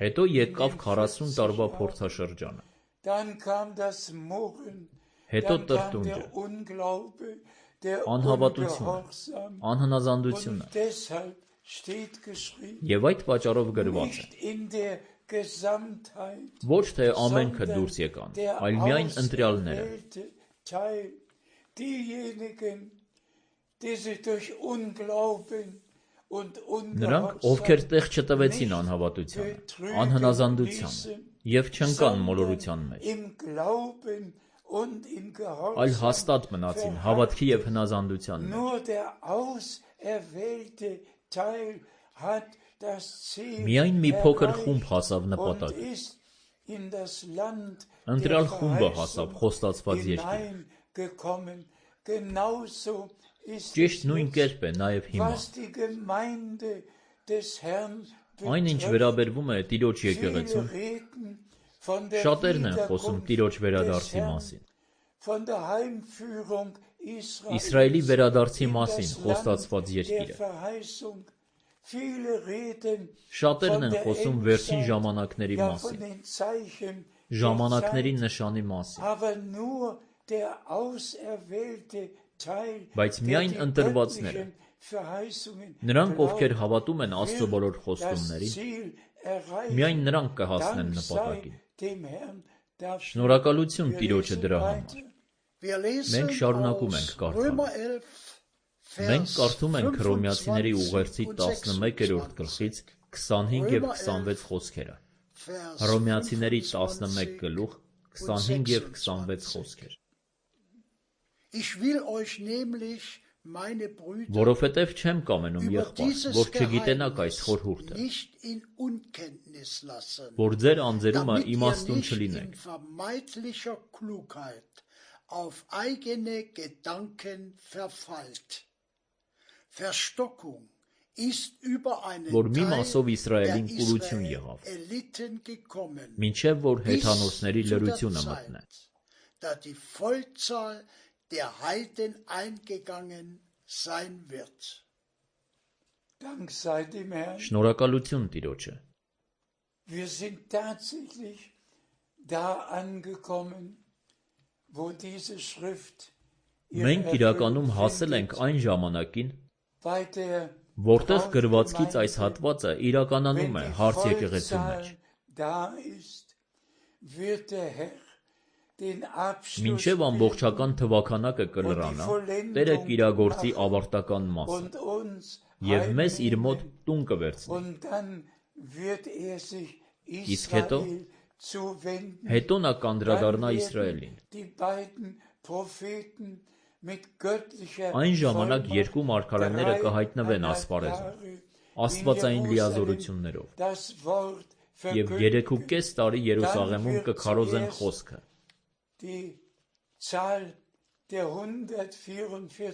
հետո եկավ 40 տարվա փորձաշրջանը, Dann kam das Murren, հետո dann kam տրտունջը, der Unglaube, der անհավատությունը, Ungehorsam. անհնազանդությունը, Und deshalb steht geschrieben, եւ այդ պատճառով գրված է. nicht in der Gesamtheit, Ոչ թե ամենքը sondern դուրս եկան, der այլ միայն ընտրյալները, auserwählte Teil, diejenigen, die sich durch Unglauben und նրանք, ովքեր Ungehorsam տեղ չտվեցին անհավատությանը, անհնազանդության եւ չընկան մոլորության մեջ, im Glauben und im այլ Gehorsam հաստատ մնացին հավատքի եւ հնազանդության մեջ։ Nur der auserwählte Teil hat das Ziel Միայն մի փոքր խումբ erreicht հասավ und նպատակին։ ist in das Land Ընտրյալ der խումբը հասավ Verheißung խոստացված երկիր։ hineingekommen. Genauso ist Ճիշտ es նույն jetzt, կերպ է նաեւ հիմա։ was die Gemeinde des Herrn Այն ինչ betrifft. վերաբերվում է Տիրոջ եկեղեցուն, Viele reden von der շատերն են խոսում Wiederkunft Տիրոջ des վերադարձի Herrn, մասին, von der Heimführung Իսրայելի Israels վերադարձի in մասին das խոստացված Land der երկիրը։ Verheißung. Viele reden Շատերն von են der խոսում վերջին Endzeit, ժամանակների ja von մասին, den Zeichen der ժամանակների Zeit, նշանի մասին, aber nur der auserwählte Teil, բայց der միայն die ընտրվածները, göttlichen Verheißungen նրանք, ովքեր glaubt, հավատում են Աստծո բոլոր wird das խոստումներին, Ziel erreichen. միայն նրանք կհասնեն Dank sei նպատակին։ dem Herrn dafür. Շնորհակալություն Wir Տիրոջը lesen դրա weiter. համար։ Wir lesen Մենք շարունակում aus ենք կարդալ։ Römer 11, Մենք Vers կարդում ենք Հռոմեացիների 25 ուղերձի und 11-րդ 26. գլխից 25 եւ 26 խոսքերը։ Vers Հռոմեացիների 11 25 գլուխ 25 եւ 26 խոսքեր։ Ich will euch nämlich, meine Brüder, Որովհետև չեմ կամենում über եղբայր, dieses որ չգիտենաք այս Geheimnis խորհուրդը, nicht in Unkenntnis lassen, որ ձեր անձերումը damit ihr իմաստուն nicht in չլինեք, vermeintlicher Klugheit auf eigene Gedanken verfallt. Verstockung ist über einen որ մի Teil մասով der Իսրայելին կուրություն եղավ, Israeliten gekommen, մինչև որ bis հեթանոսների zu der լրությունը մտնե, Zeit, da die Vollzahl der Heiden eingegangen sein wird. Dank sei dem Herrn. Շնորհակալություն Տիրոջը։ Wir sind tatsächlich da angekommen, wo diese Schrift Մենք իրականում հասել ենք այն ժամանակին, bei der որտեղ գրվածքից այս հատվածը իրականանում է հարց եկեղեցու մեջ։ da ist, wird der Herr den Abschluss Մինչև ամբողջական թվականակը կլրանա, Տերը կիրագործի ավարտական մասը und uns եւ մեզ իր մոտ տուն կվերցնի։ und dann wird sich Իսկ հետո Israel zuwenden. հետո նա կանդրադառնա Dann Իսրայելին։ werden die beiden Propheten mit göttlicher Այն ժամանակ Vollmacht երկու մարգարեները կհայտնվեն 3,5 ասպարեզում, Jahre աստվածային in լիազորություններով, das Wort եւ verkündigen. 3.5 տարի Երուսաղեմում կքարոզեն խոսքը։ Die Zahl der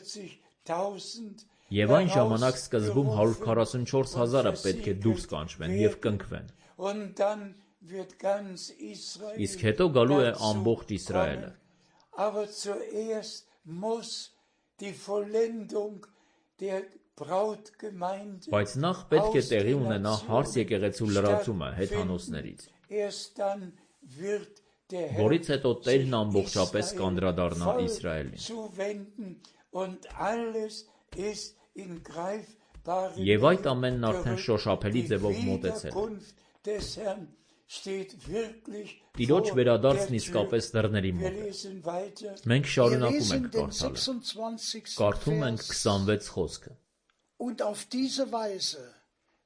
144.000 Եվ այն ժամանակ սկզբում 144,000-ը պետք է դուրս կանչվեն եւ կնքվեն։ Und dann wird ganz Israel Իսկ հետո գալու է dazu ամբողջ Իսրայելը։ kommen. Aber zuerst muss die Vollendung der Brautgemeinde Բայց նախ պետք է տեղի ունենա հարց եկեղեցու լրացումը հեթանոսներից, Erst dann wird der Herr որից հետո Տերն sich ամբողջապես Israel կանդրադառնա voll Իսրայելին։ zuwenden und alles ist in greifbaren Եվ այդ ամենն արդեն gerückt. շոշափելի Die ձևով մոտեցել է։ Wiederkunft des Herrn steht wirklich Տիրոջ vor վերադարձն der իսկապես Tür. դռների Wir մոտ է։ lesen weiter. Մենք Wir շարունակում lesen ենք den կարդալը։ 26. Կարդում ենք Vers. 26 խոսքը։ Und auf diese Weise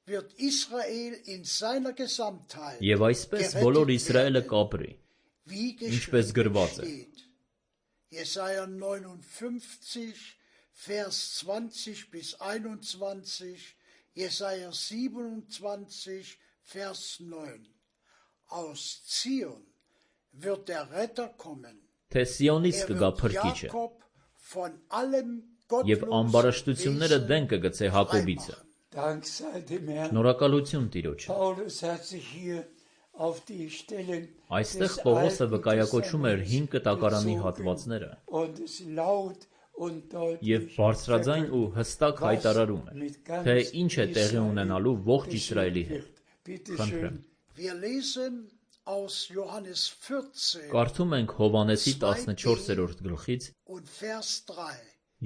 wird Israel in seiner Gesamtheit Եվ այսպես բոլոր Իսրայելը կապրի, wie ինչպես գրված է։ steht. Jesaja 59, Vers 20 bis 21, Jesaja 27, Vers 9. Aus Zion wird der Retter kommen. Թե Սիոնից Er կգա wird փրկիչը, Jakob von allem եւ ամբարաշտությունները դեն կգցե Հակոբիցը։ Dank sei dem Herrn. Շնորհակալություն Տիրոջը։ Paulus hat sich hier auf die Stellen Այստեղ des Պողոսը Alten վկայակոչում էր 5 Testaments կտակարանի bezogen հատվածները und es laut und եւ deutlich բարձրաձայն ու հստակ հայտարարում էր, թե ինչ է տեղի ունենալու ողջ Իսրայելի հետ։ Bitte Խնդրեմ։ schön. Wir lesen aus Johannes 14 Կարդում ենք Հովանեսի 14-րդ գլխից und Vers 3.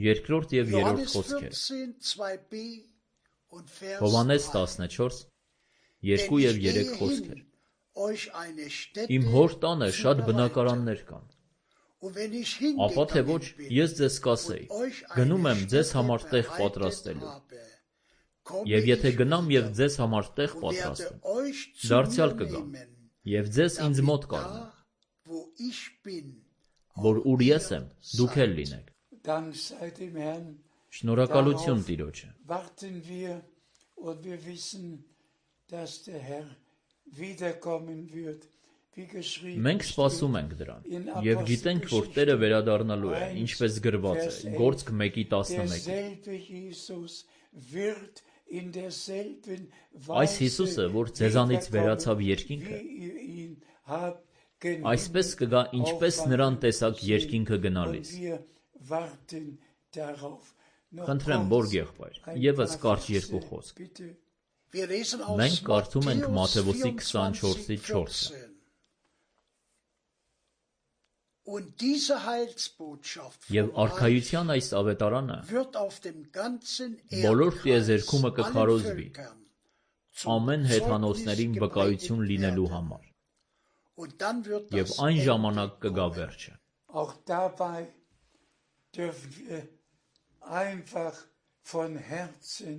երկրորդ եւ երրորդ Johannes խոսքեր։ 14, 2b und Vers Հովանես 3. 14, 2 Denn եւ ich 3 gehe խոսքեր։ hin, euch eine Stätte Իմ հոր տանը zu շատ bereiten. բնակարաններ կան։ Und wenn ich Ապա թե ոչ, hingegangen bin ես ձեզ կասեի, und euch գնում eine եմ ձեզ Stätte համար տեղ bereitet պատրաստելու։ habe, komme Եվ եթե ich գնամ եւ wieder ձեզ համար տեղ und պատրաստեմ, werde euch zu դարձյալ mir կգամ nehmen, եւ ձեզ ինձ մոտ damit կառնեմ, da, wo ich bin, որ auch ուր ես ihr եմ, դուք էլ seid. լինեք։ Dank sei dem Herrn. Շնորհակալություն Տիրոջը։ Warten wir und wir wissen, dass der Herr wiederkommen wird, wie geschrieben Մենք սպասում ենք դրան եւ գիտենք, որ Տերը վերադառնալու է, ինչպես գրված է Գործք 1:11-ին։ derselbe Jesus wird in derselben Այս Հիսուսը, որ ձեզանից վերացավ wiederkommen, երկինքը, wie ihr ihn habt genannt. այսպես կգա, ինչպես նրան տեսակ երկինքը Und գնալիս։ wir warten darauf. Noch Խնդրեմ, kurz Բորգ եղբայր, ein եւս paar կարճ Verse, երկու խոսք։ bitte. Wir lesen aus Մենք կարդում ենք Մատթեոսի Matthäus 24-ի 4-ը։ 24:14. Und diese Heilsbotschaft Եվ vom Reich արքայության այս ավետարանը wird auf dem ganzen բոլոր Erdkreis տիեզերքումը allen կքարոզվի, Völkern zum ամեն հեթանոսներին Zeugnis վկայություն gepredigt լինելու werden. համար։ Und dann wird Եվ das այն Ende ժամանակ կգա kommen. վերջը։ Auch dabei dürfen wir einfach von Herzen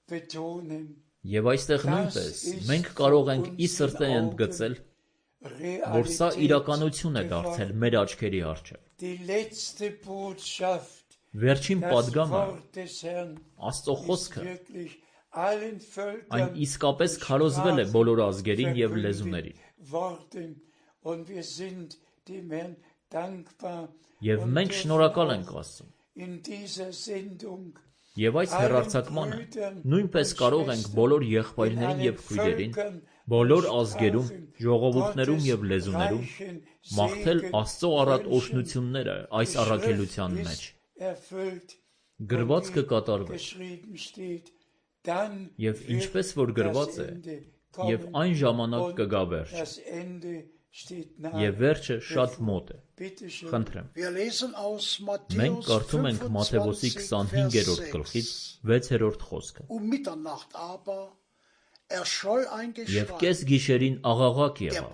betonen, Եվ այստեղ նույնպես մենք կարող ենք ի սրտե ընդգծել, որ սա Realität իրականություն է դարձել geworden. մեր աչքերի առջև։ Die letzte Botschaft, Վերջին das պատգամը, Wort des Herrn, Աստծո ist խոսքը, wirklich allen այն Völkern իսկապես քարոզվել է բոլոր ազգերին եւ լեզուներին։ worden und wir sind dem Herrn Եվ մենք շնորհակալ ենք Աստծուն։ Եվ այս հեռարձակմանը նույնպես կարող ենք բոլոր եղբայրներին եւ քույրերին, բոլոր ազգերում, ժողովուրդներում եւ լեզուներում մաղթել Աստծո առատ օրհնությունները այս առաքելության մեջ։ Գրված կկատարվի։ Եվ ինչպես որ գրված է, եւ այն ժամանակ կգա վերջը։ Եվ վերջը շատ մոտ է։ Խնդրեմ։ Մենք կարդում ենք Մատթեոս 25-րդ գլխից 6-րդ խոսքը։ Եվ կես գիշերին աղաղակ եղավ.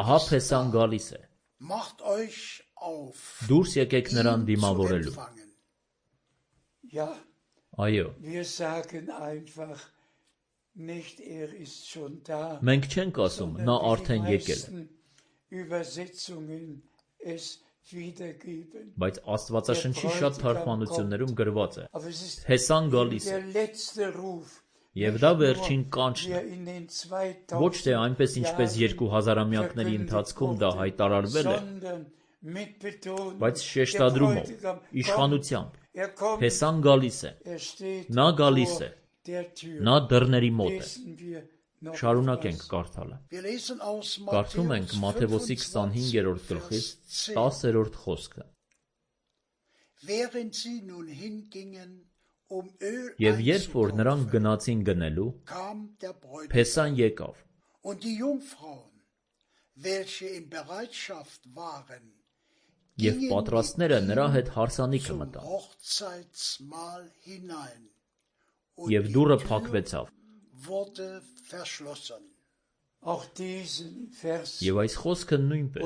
Ահա Փեսան գալիս է։ Դուրս եկեք նրան դիմավորելու։ Այո։ Մենք չենք ասում, նա արդեն եկել է։ Բայց Աստվածաշնչի շատ թարգմանություններում գրված է. Փեսան գալիս է։ Եվ դա վերջին կանչն է։ Ոչ թե այնպես ինչպես 2000-ամյակների ընթացքում դա հայտարարվել է, բայց շեշտադրումով, իշխանությամբ։ Փեսան գալիս է։ Նա գալիս է։ Նա դռների մոտ է։ Շարունակենք կարդալը։ Կարդում ենք Մատթեոս 25-րդ գլխից 10-րդ խոսքը։ Եվ երբ որ նրանք գնացին գնելու, Փեսան եկավ։ Եվ պատրաստները նրա հետ հարսանիքը մտան։ Եվ դուռը փակվեցավ։ Եվ այս խոսքը նույնպես,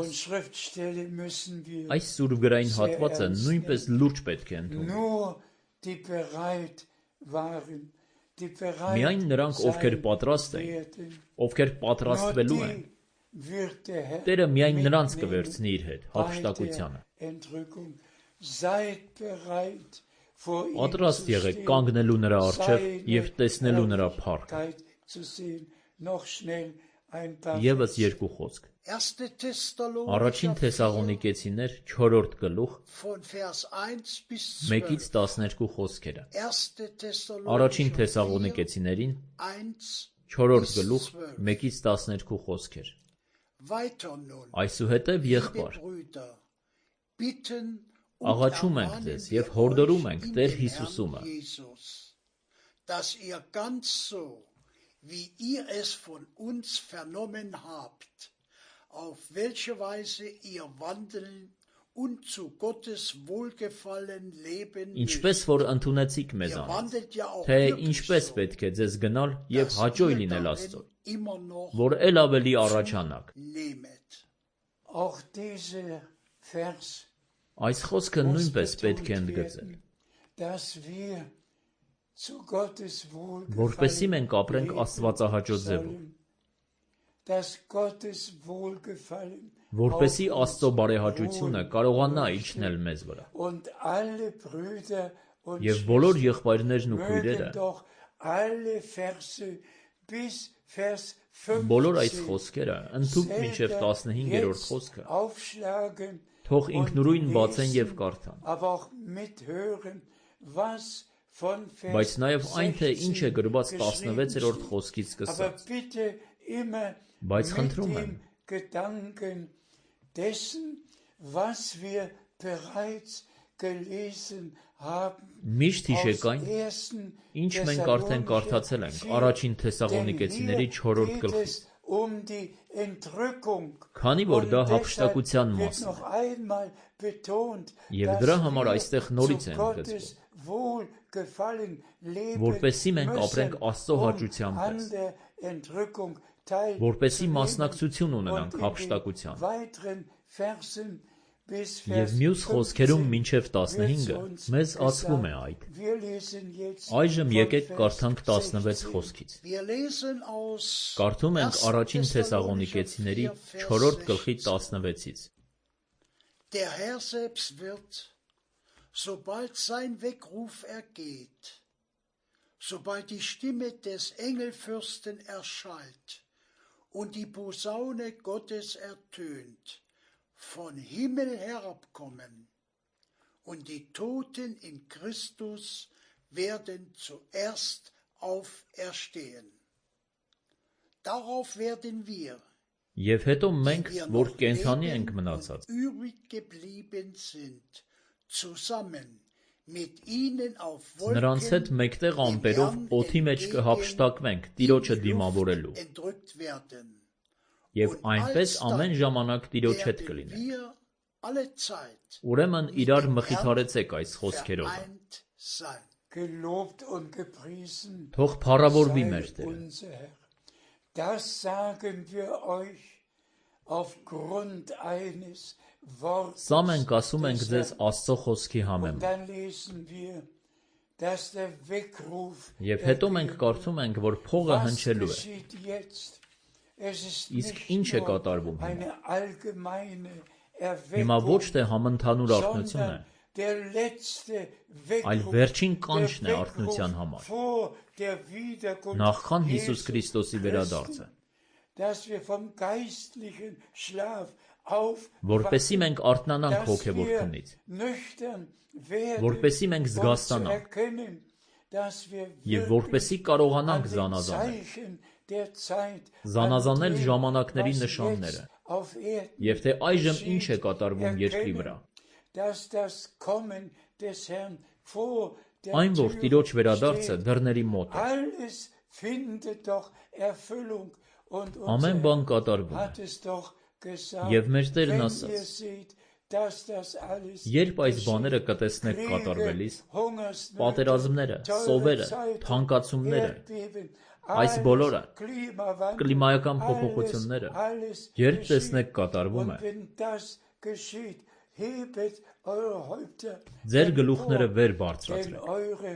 այս սուրբգրային հատվածը նույնպես լուրջ պետք է ընդունենք։ Միայն նրանք, ովքեր պատրաստ են, ովքեր պատրաստվելու են, Տերը միայն նրանց կվերցնի իր հետ հափշտակությանը։ Պատրաստ եղեք կանգնելու նրա առջև և տեսնելու նրա փառքը։ Եվս երկու խոսք։ Առաջին Թեսաղոնիկեցիներ 4-րդ գլուխ 1-ից 12 խոսքերը։ Առաջին Թեսաղոնիկեցիներին 4-րդ գլուխ 1-ից 12 խոսքեր։ Այսուհետև եղբայր, աղաչում ենք ձեզ և հորդորում ենք Տեր Հիսուսումը, ինչպես որ ընդունեցիք մեզանից, թե ինչպես պետք է ձեզ գնալ և հաճոյ լինել Աստծուն, որ էլ ավելի առաջանաք։ Այս խոսքը նույնպես պետք է ընդգծել, որպեսզի մենք ապրենք աստվածահաճո ձևով, որպեսզի Աստծո բարեհաճությունը կարողանա իջնել մեզ վրա։ Եվ բոլոր եղբայրներն ու քույրերը բոլոր այս խոսքերը ընդհուպ մինչև 15-րդ խոսքը թող ինքնուրույն բացեն և կարդան։ Բայց նաև այն, թե ինչ է գրված 16-րդ խոսքից սկսած։ Բայց խնդրում եմ, միշտ հիշեք այն, ինչ մենք արդեն կարդացել ենք առաջին Թեսաղոնիկեցիների 4-րդ գլխից, քանի որ դա հափշտակության մասն է, և դրա համար այստեղ նորից է ընդգծվում, որպեսզի մենք ապրենք Աստծո հաճության պես, որպեսզի մասնակցություն ունենանք հափշտակության։ Եվ մյուս խոսքերում մինչև 15-ը մեզ ասվում է այդ։ Այժմ եկեք կարդանք 16 խոսքից։ Կարդում ենք առաջին Թեսաղոնիկեցիների 4-րդ գլխի 16-ից։ Der Herr selbst wird, sobald sein Weckruf ergeht, sobald die Stimme des Engelfürsten erschallt und die Posaune Gottes ertönt, von Himmel herabkommen, und die Toten in Christus werden zuerst auferstehen. Darauf werden wir, Եվ հետո մենք, որ կենդանի ենք մնացած, übrig geblieben sind, zusammen mit ihnen auf նրանց հետ Wolken մեկտեղ ամպերով օդի մեջ կհափշտակվենք Տիրոջը դիմավորելու, entrückt werden. եւ այնպես ամեն ժամանակ Տիրոջ հետ Werden կլինենք։ wir alle Zeit Ուրեմն իրար մխիթարեցեք այս խոսքերով։ vereint sein. Gelobt und gepriesen Թող փառավորվի sei մեր Տերը։ unser Herr. Das sagen wir euch aufgrund eines Wortes. Սա մենք ասում ենք des ձեզ Herrn. Աստծո խոսքի Und համեմատ։ dann lesen wir, dass der Weckruf Եվ հետո մենք կարդում ենք, որ փողը Was հնչելու է։ geschieht jetzt? Es ist Իսկ nicht ինչ է nur կատարվում հիմա։ eine allgemeine Հիմա ոչ Erweckung, թե համընդհանուր արթնություն է, sondern der letzte այլ Weckruf, վերջին der կանչն է Weckruf արթնության համար, vor der Wiederkunft նախքան Հիսուս Jesu Քրիստոսի վերադարձը, dass wir vom geistlichen Schlaf որպեսզի մենք արթնանանք dass հոգևոր wir քնից, nüchtern werden, որպեսզի մենք um zu զգաստանանք erkennen, dass wir եւ wirklich որպեսզի an կարողանանք den զանազանել, Zeichen der Zeit, զանազանել an dem, ժամանակների was նշանները, jetzt auf Erden եւ թե այժմ ինչ է geschieht, կատարվում երկրի վրա, dass das Kommen des Herrn vor der այն որ Tür Տիրոջ վերադարձը steht. դռների մոտ է, Alles findet doch Erfüllung und ամեն unser բան Herr կատարվում է, hat es doch gesagt, եւ մեր Տերն wenn ihr ասաց, seht, dass das alles երբ այս բաները geschieht, կտեսնեք Kriege, կատարվելիս, Hungersnöte, պատերազմները, teure սովերը, Zeiten, թանկացումները, Erdbeben, այս alles, բոլորը, Klimawandel, կլիմայական alles, փոփոխությունները, alles երբ geschieht. տեսնեք կատարվում է, Und wenn das geschieht, hebet eure Häupter ձեր գլուխները empor, վեր denn բարձրացրեք, eure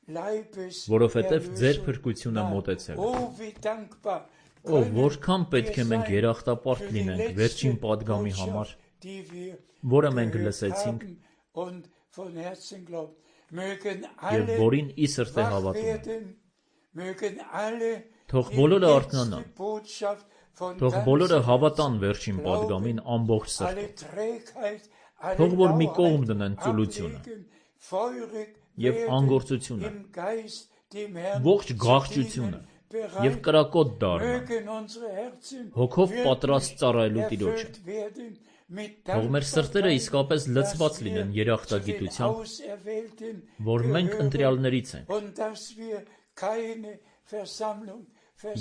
Leibes որովհետև ձեր Erlösung փրկությունը naht. մոտեցել է։ Oh, wie dankbar Ո können որքան պետք է wir մենք sein երախտապարտ für die լինենք letzte վերջին падգամի համար, Botschaft, die wir որը մենք gehört լսեցինք haben und von Herzen glauben. Mögen եւ alle որին ի սրտե wach հավատում են։ werden, mögen alle Թող die բոլորը letzte արթնանան, Botschaft von թող ganzem բոլորը Herzen հավատան վերջին glauben, падգամին ամբողջ alle սրտով, Trägheit, alle թող որ մի կողմ Lauheit դնեն ծուլությունը ablegen, feurig եւ werden, անգործությունը, im Geist dem Herrn ողջ zu գաղջությունը dienen, bereit. եւ կրակոտ դառնան, Mögen unsere Herzen հոգով wirklich պատրաստ ծառայելու Տիրոջը։ erfüllt werden mit Թող մեր սրտերը Dankbarkeit, իսկապես լցված dass wir լինեն zu den երախտագիտությամբ, Auserwählten որ մենք gehören ընտրյալներից ենք, und dass wir keine Versammlung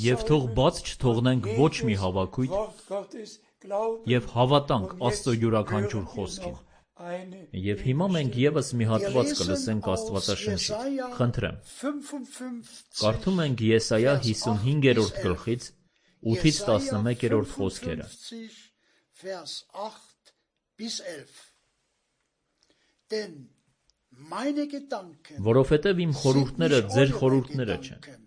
եւ թող versäumen բաց չթողնենք und ոչ մի jedes հավաքույթ Wort Gottes glauben. եւ հավատանք Und Աստծո jetzt յուրաքանչյուր hören wir խոսքին։ noch eine Եվ հիմա մենք եւս մի Wir հատված lesen կլսենք aus Աստվածաշնչից։ Jesaja Խնդրեմ, 55, կարդում ենք Եսայա 55-րդ գլխից 8-ից 11-րդ խոսքերը։ 55, Vers 8 bis 11. Denn meine Gedanken Որովհետև իմ խորհուրդները sind ձեր nicht խորհուրդները eure չեն, Gedanken,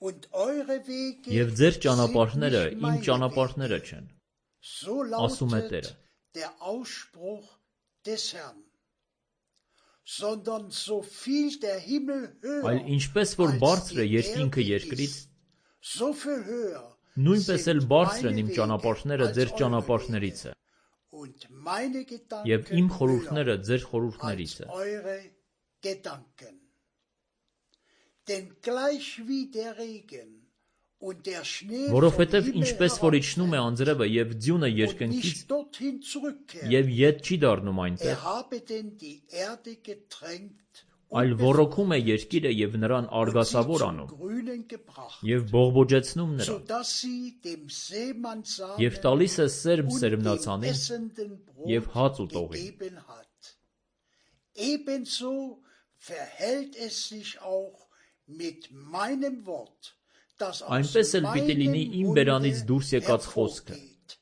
und eure Wege եւ ձեր sind ճանապարհները nicht իմ meine ճանապարհները Wege. չեն, So ասում է lautet Տերը։ der Ausspruch des Herrn. Sondern so viel der Himmel Այլ höher ինչպես որ als բարձր է die երկինքը Erde երկրից, ist, so viel höher նույնպես էլ sind բարձր են meine իմ Wege ճանապարհները als ձեր eure ճանապարհներից Wege, է, und meine եւ իմ Gedanken խորհուրդները höher ձեր խորհուրդներից als է։ eure Gedanken. Denn gleich wie der Regen und der Schnee vom Որովհետև Himmel ինչպես որ իջնում է herabfällt անձրևը եւ ձյունը und երկնքից nicht dorthin zurückkehrt, եւ ետ չի դառնում այնտեղ, habe denn die Erde getränkt այլ und ոռոգում է երկիրը եւ նրան und sie արգասավոր zum անում Grünen gebracht, եւ բողբոջեցնում նրան sodass sie dem Seemannssamen եւ տալիս է սերմ und dem սերմնացանին essenden եւ Brot հաց ուտողին։ gegeben hat. Ebenso verhält es sich auch mit meinem Wort, das aus Այնպես էլ պիտի լինի meinem իմ բերանից Munde դուրս եկած խոսքը։ hervorgeht.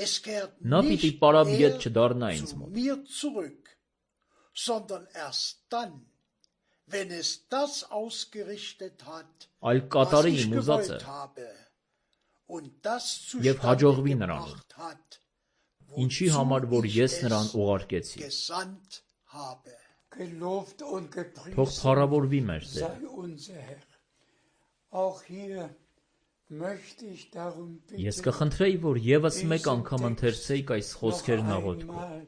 Es kehrt Նա պիտի nicht պարապիետ mehr չդառնա ինձ zu մոտ, mir zurück, sondern erst dann, wenn es das ausgerichtet hat, այլ was կատարի ich իմ ուզածը gewollt habe, und das եւ zustande հաջողվի նրան, gebracht hat, ինչի wozu համար որ ich ես նրան es ուղարկեցի։ gesandt habe. Gelobt und Թող gepriesen փառավորվի մեր Տերը։ sei unser Herr. Auch hier möchte ich darum Ես bitten, կխնդրեի, որ եւս մեկ անգամ ընթերցեիք այս noch խոսքերն աղոթքով, einmal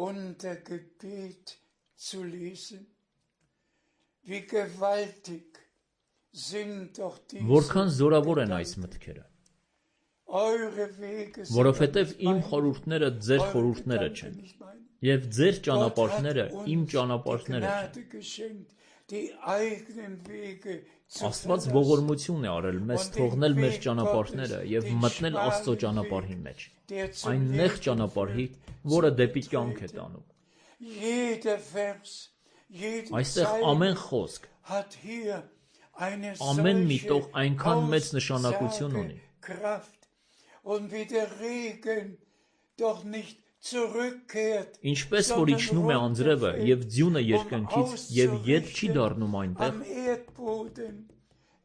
unter Gebet zu lesen. Wie gewaltig sind doch diese որքան զորավոր են այս մտքերը, eure Wege sind որովհետև doch nicht իմ meine, խորհուրդները ձեր eure խորհուրդները Gedanken չեն, nicht meine. եւ ձեր Gott ճանապարհները hat իմ uns die ճանապարհները չեն։ Gnade geschenkt, die eigenen Wege zu Աստված verlassen. ողորմություն է արել մեզ թողնել մեր ճանապարհները եւ մտնել Աստծո ճանապարհի մեջ, այն նեղ ճանապարհի, որը դեպի կյանք է տանում։ Jeder Vers, jede Այստեղ ամեն խոսք, hat hier eine ամեն մի տող solche այնքան մեծ նշանակություն ունի, Aussagekraft. Und wie der Regen doch nicht zurückkehrt, ինչպես որ իջնում է անձրևը եւ ձյունը երկնքից եւ ետ չի դառնում այնտեղ, am Erdboden,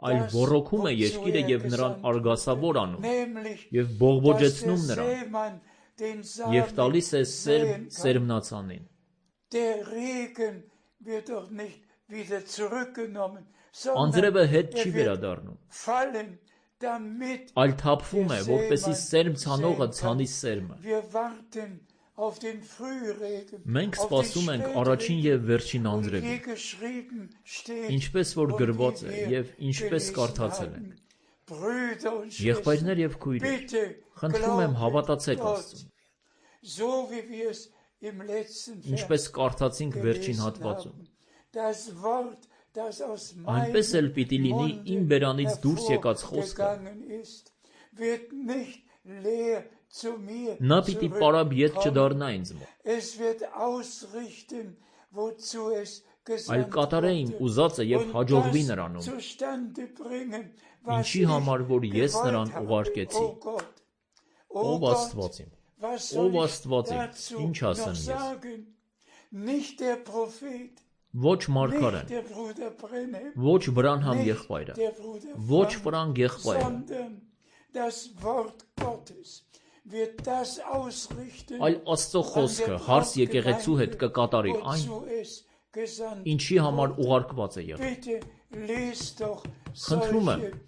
այլ ոռոգում է երկիրը եւ նրան արգասավոր անում nämlich եւ dass բողբոջեցնում der նրան Seemann den եւ Samen տալիս է säen kann. սերմնացանին։ Der Regen wird doch nicht wieder zurückgenommen, sondern Անձրևը հետ չի er wird վերադառնում, fallen, damit այլ թափվում է, որպեսզի սերմ ցանողը ցանի սերմը։ wir warten auf den Frühregen, Մենք auf den սպասում ենք առաջին եւ վերջին Und անձրևին, wie geschrieben steht, ինչպես որ und գրված wie է wir եւ ինչպես gelesen կարդացել haben. ենք։ Brüder und Եղբայրներ Schwestern, եւ քույրեր, bitte խնդրում եմ glaubet հավատացեք Gott, Աստծուն, so wie wir es im letzten ինչպես Vers կարդացինք վերջին gelesen հատվածում։ haben. Das Wort, das aus Այնպես էլ պիտի լինի իմ meinem բերանից դուրս եկած խոսքը, hervorgegangen ist, wird nicht leer zu mir նա պիտի պարապ ետ zurückkommen. չդառնա ինձ մոտ, Es wird ausrichten, wozu es այլ gesandt կատարե իմ wurde. ուզածը եւ Und հաջողվի das նրանում, zustande bringen, was ինչի ich համար որ ես gewollt նրան habe. ուղարկեցի։ O Gott, Ով Gott, Աստված իմ, was ով soll ich Աստված իմ, dazu ինչ noch ասեմ ես։ sagen? Nicht der Prophet, Ոչ nicht Մարգարեն, der Bruder Brenhem, ոչ Վրանհամ nicht եղբայրը, der Bruder ոչ Frank, Ֆրանկ եղբայրը, sondern das Wort Gottes wird das ausrichten, այլ Աստծո խոսքը հարս եկեղեցու հետ կկատարի այն, wozu es gesandt ինչի համար ուղարկված է եղել։ Bitte lest doch Խնդրում եմ, solche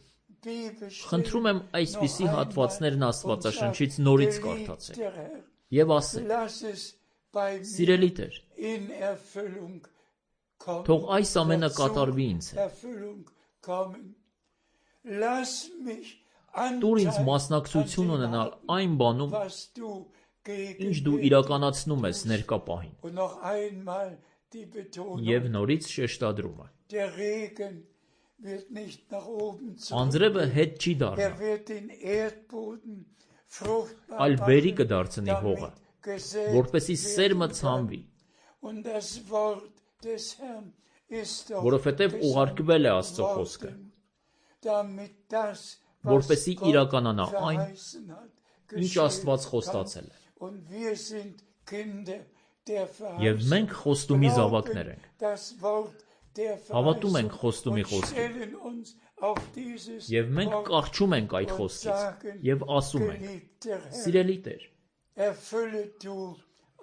Bibelstellen Խնդրում եմ այսպիսի noch հատվածներն einmal Աստվածաշնչից und նորից sagt, կարդացեք geliebter Herr, եւ ասեք. lass es bei mir Սիրելի Տեր, in Erfüllung kommen. թող այս ամենը Dazu կատարվի ինձ հետ։ Erfüllung kommen. Lass mich Տուր ինձ Anteil մասնակցություն an dem ունենալ haben, այն բանում, was du gegen ինչ դու mich իրականացնում ես ներկա պահին։ Und noch einmal die Betonung, Եվ նորից շեշտադրումը։ der Regen wird nicht nach oben Անձրևը zurückgehen. հետ չի դառնա, Er wird den Erdboden fruchtbar այլ բերի machen, կդարձնի հողը, damit gesät որպեսզի սերմը werden ցանվի, kann. Und das Wort des Herrn ist doch որովհետև ուղարկվել է Աստծո gesandt խոսքը, worden, damit das, was որպեսզի Gott իրականանա այն, verheißen hat, ինչ geschehen Աստված kann. խոստացել է։ Und wir sind Kinder der Եվ Verheißung. մենք խոստումի զավակներ ենք։ Das Wort der Հավատում ենք Verheißung խոստումի und խոսքին։ stellen uns auf dieses Եվ մենք Wort կառչում ենք այդ und խոսքից sagen, եւ ասում ենք. geliebter Herr, Սիրելի Տեր, erfülle du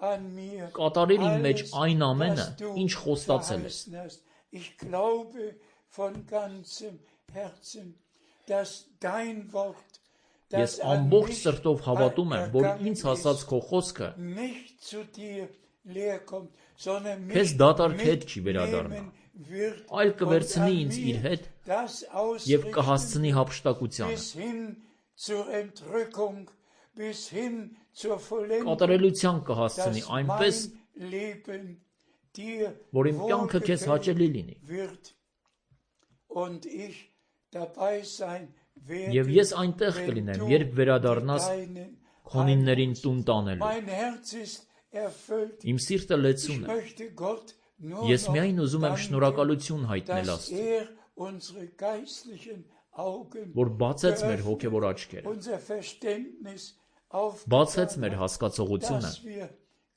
an mir կատարիր իմ մեջ alles, այն ամենը, was du ինչ խոստացել ես։ verheißen hast. Ich glaube von ganzem Herzen, dass dein Wort, Ես das an ամբողջ mich սրտով հավատում եմ, որ ինձ ergangen հասած ist, քո խոսքը nicht zu dir leer kommt, sondern Քեզ mich դատարկ հետ չի վերադառնա, mitnehmen wird այլ und կվերցնի an ինձ իր mir հետ das եւ ausrichten կհասցնի հափշտակությանը, bis hin zur Entrückung, bis hin zur Vollendung, կատարելության կհասցնի dass այնպես, mein Leben dir որ իմ կյանքը քեզ հաճելի լինի։ wird und ich dabei sein werde, Եվ ես այնտեղ wenn կլինեմ, du երբ վերադառնաս deinen քոնիններին տուն տանելու։ Mein Herz ist erfüllt. Իմ սիրտը Ich լեցուն է։ möchte Gott nur Ես noch միայն ուզում եմ danken, շնորհակալություն հայտնել dass Աստծուն, unsere geistlichen Augen որ բացեց մեր geöffnet, հոգևոր աչքերը, unser Verständnis բացեց մեր aufgetan hat, հասկացողությունը dass wir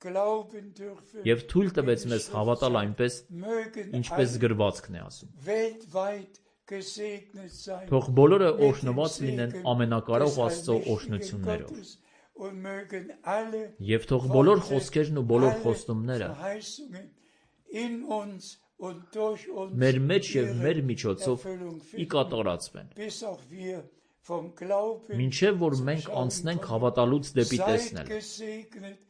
glauben dürfen, եւ թույլ տվեց wie die մեզ Schrift հավատալ sagt, այնպես, mögen ինչպես alle գրվածքն է ասում։ weltweit gesegnet sein Թող բոլորը mit dem օրհնված լինեն Segen ամենակարող des Աստծո allmächtigen օրհնություններով։ Gottes und mögen alle Եվ թող բոլոր Worte, խոսքերն ու բոլոր alle խոստումները Verheißungen in uns und durch uns մեր մեջ եւ մեր ihre միջոցով Erfüllung ի finden, կատարածվեն, bis auch wir vom Glauben Մինչև որ մենք անցնենք հավատալուց դեպի seid տեսնել։ gesegnet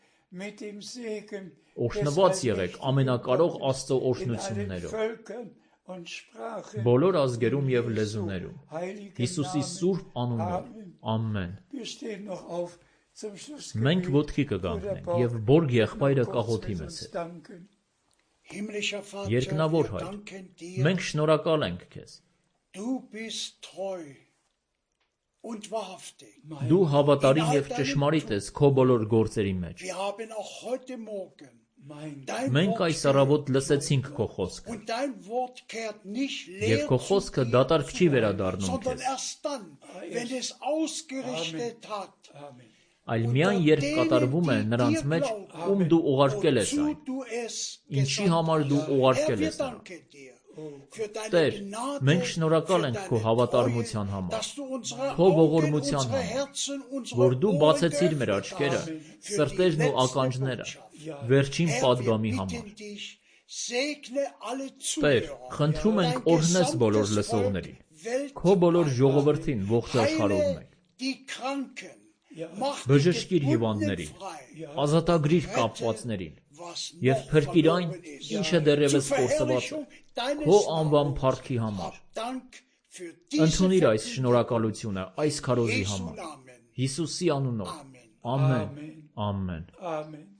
mit dem Segen Օրհնված եղեք ամենակարող Աստծո in allen օրհնություններով, Völkern und Sprachen. բոլոր ազգերում եւ լեզուներում, Heiligen Հիսուսի Namen. սուրբ անունով, ամեն։ Wir stehen noch auf zum Schluss. Մենք ոտքի կգանքնենք եւ Բորգ եղբայրը կաղոթի մեզ հետ։ Danken. Himmlischer Vater, Երկնավոր wir Հայր, danken dir. մենք շնորհակալ ենք քեզ։ Du bist treu und wahrhaftig. Դու հավատարիմ եւ ճշմարիտ ես քո բոլոր գործերի մեջ։ Wir haben auch heute Morgen Mein dein Մենք Wort այս առավոտ լսեցինք քո խոսքը, und dein Wort kehrt nicht եւ leer քո zu խոսքը dir դատարկ չի zurück, վերադառնում sondern քեզ, erst dann, wenn es ausgerichtet hat, Amen. այլ միայն երբ կատարվում է նրանց մեջ, ում դու ուղարկել ես այն, wozu du es ինչի gesandt համար դու hast. ուղարկել Herr, wir ես նրան։ danken dir für deine Տեր, Gnade, մենք շնորհակալ für ենք deine քո հավատարմության Treue, համար, dass du unsere քո Augen, ողորմության unsere համար, Herzen, unsere որ դու Ohren բացեցիր մեր geöffnet աչքերը, hast für die սրտերն ու letzte ականջները, Botschaft. վերջին Herr, wir պատգամի համար։ bitten dich, segne alle Տեր, Zuhörer, խնդրում ենք dein օրհնես բոլոր gesamtes լսողներին, Volk քո բոլոր weltweit. ժողովրդին ողջ աշխարհով Heile մեկ, die Kranken, mach die բժշկիր Gebundenen հիվանդներին, frei, ազատագրիր կապվածներին, was եւ noch փրկիր այն, verloren ist. ինչը դեռևս Zur կորսված է, Verherrlichung deines քո անվան Namens. փառքի համար։ Hab Dank für diese Ընդունիր այս Verkündigung. շնորհակալությունը այս քարոզի Jesu համար։ Namen. Հիսուսի անունով։ Amen. Ամեն։ Ամեն։ Amen.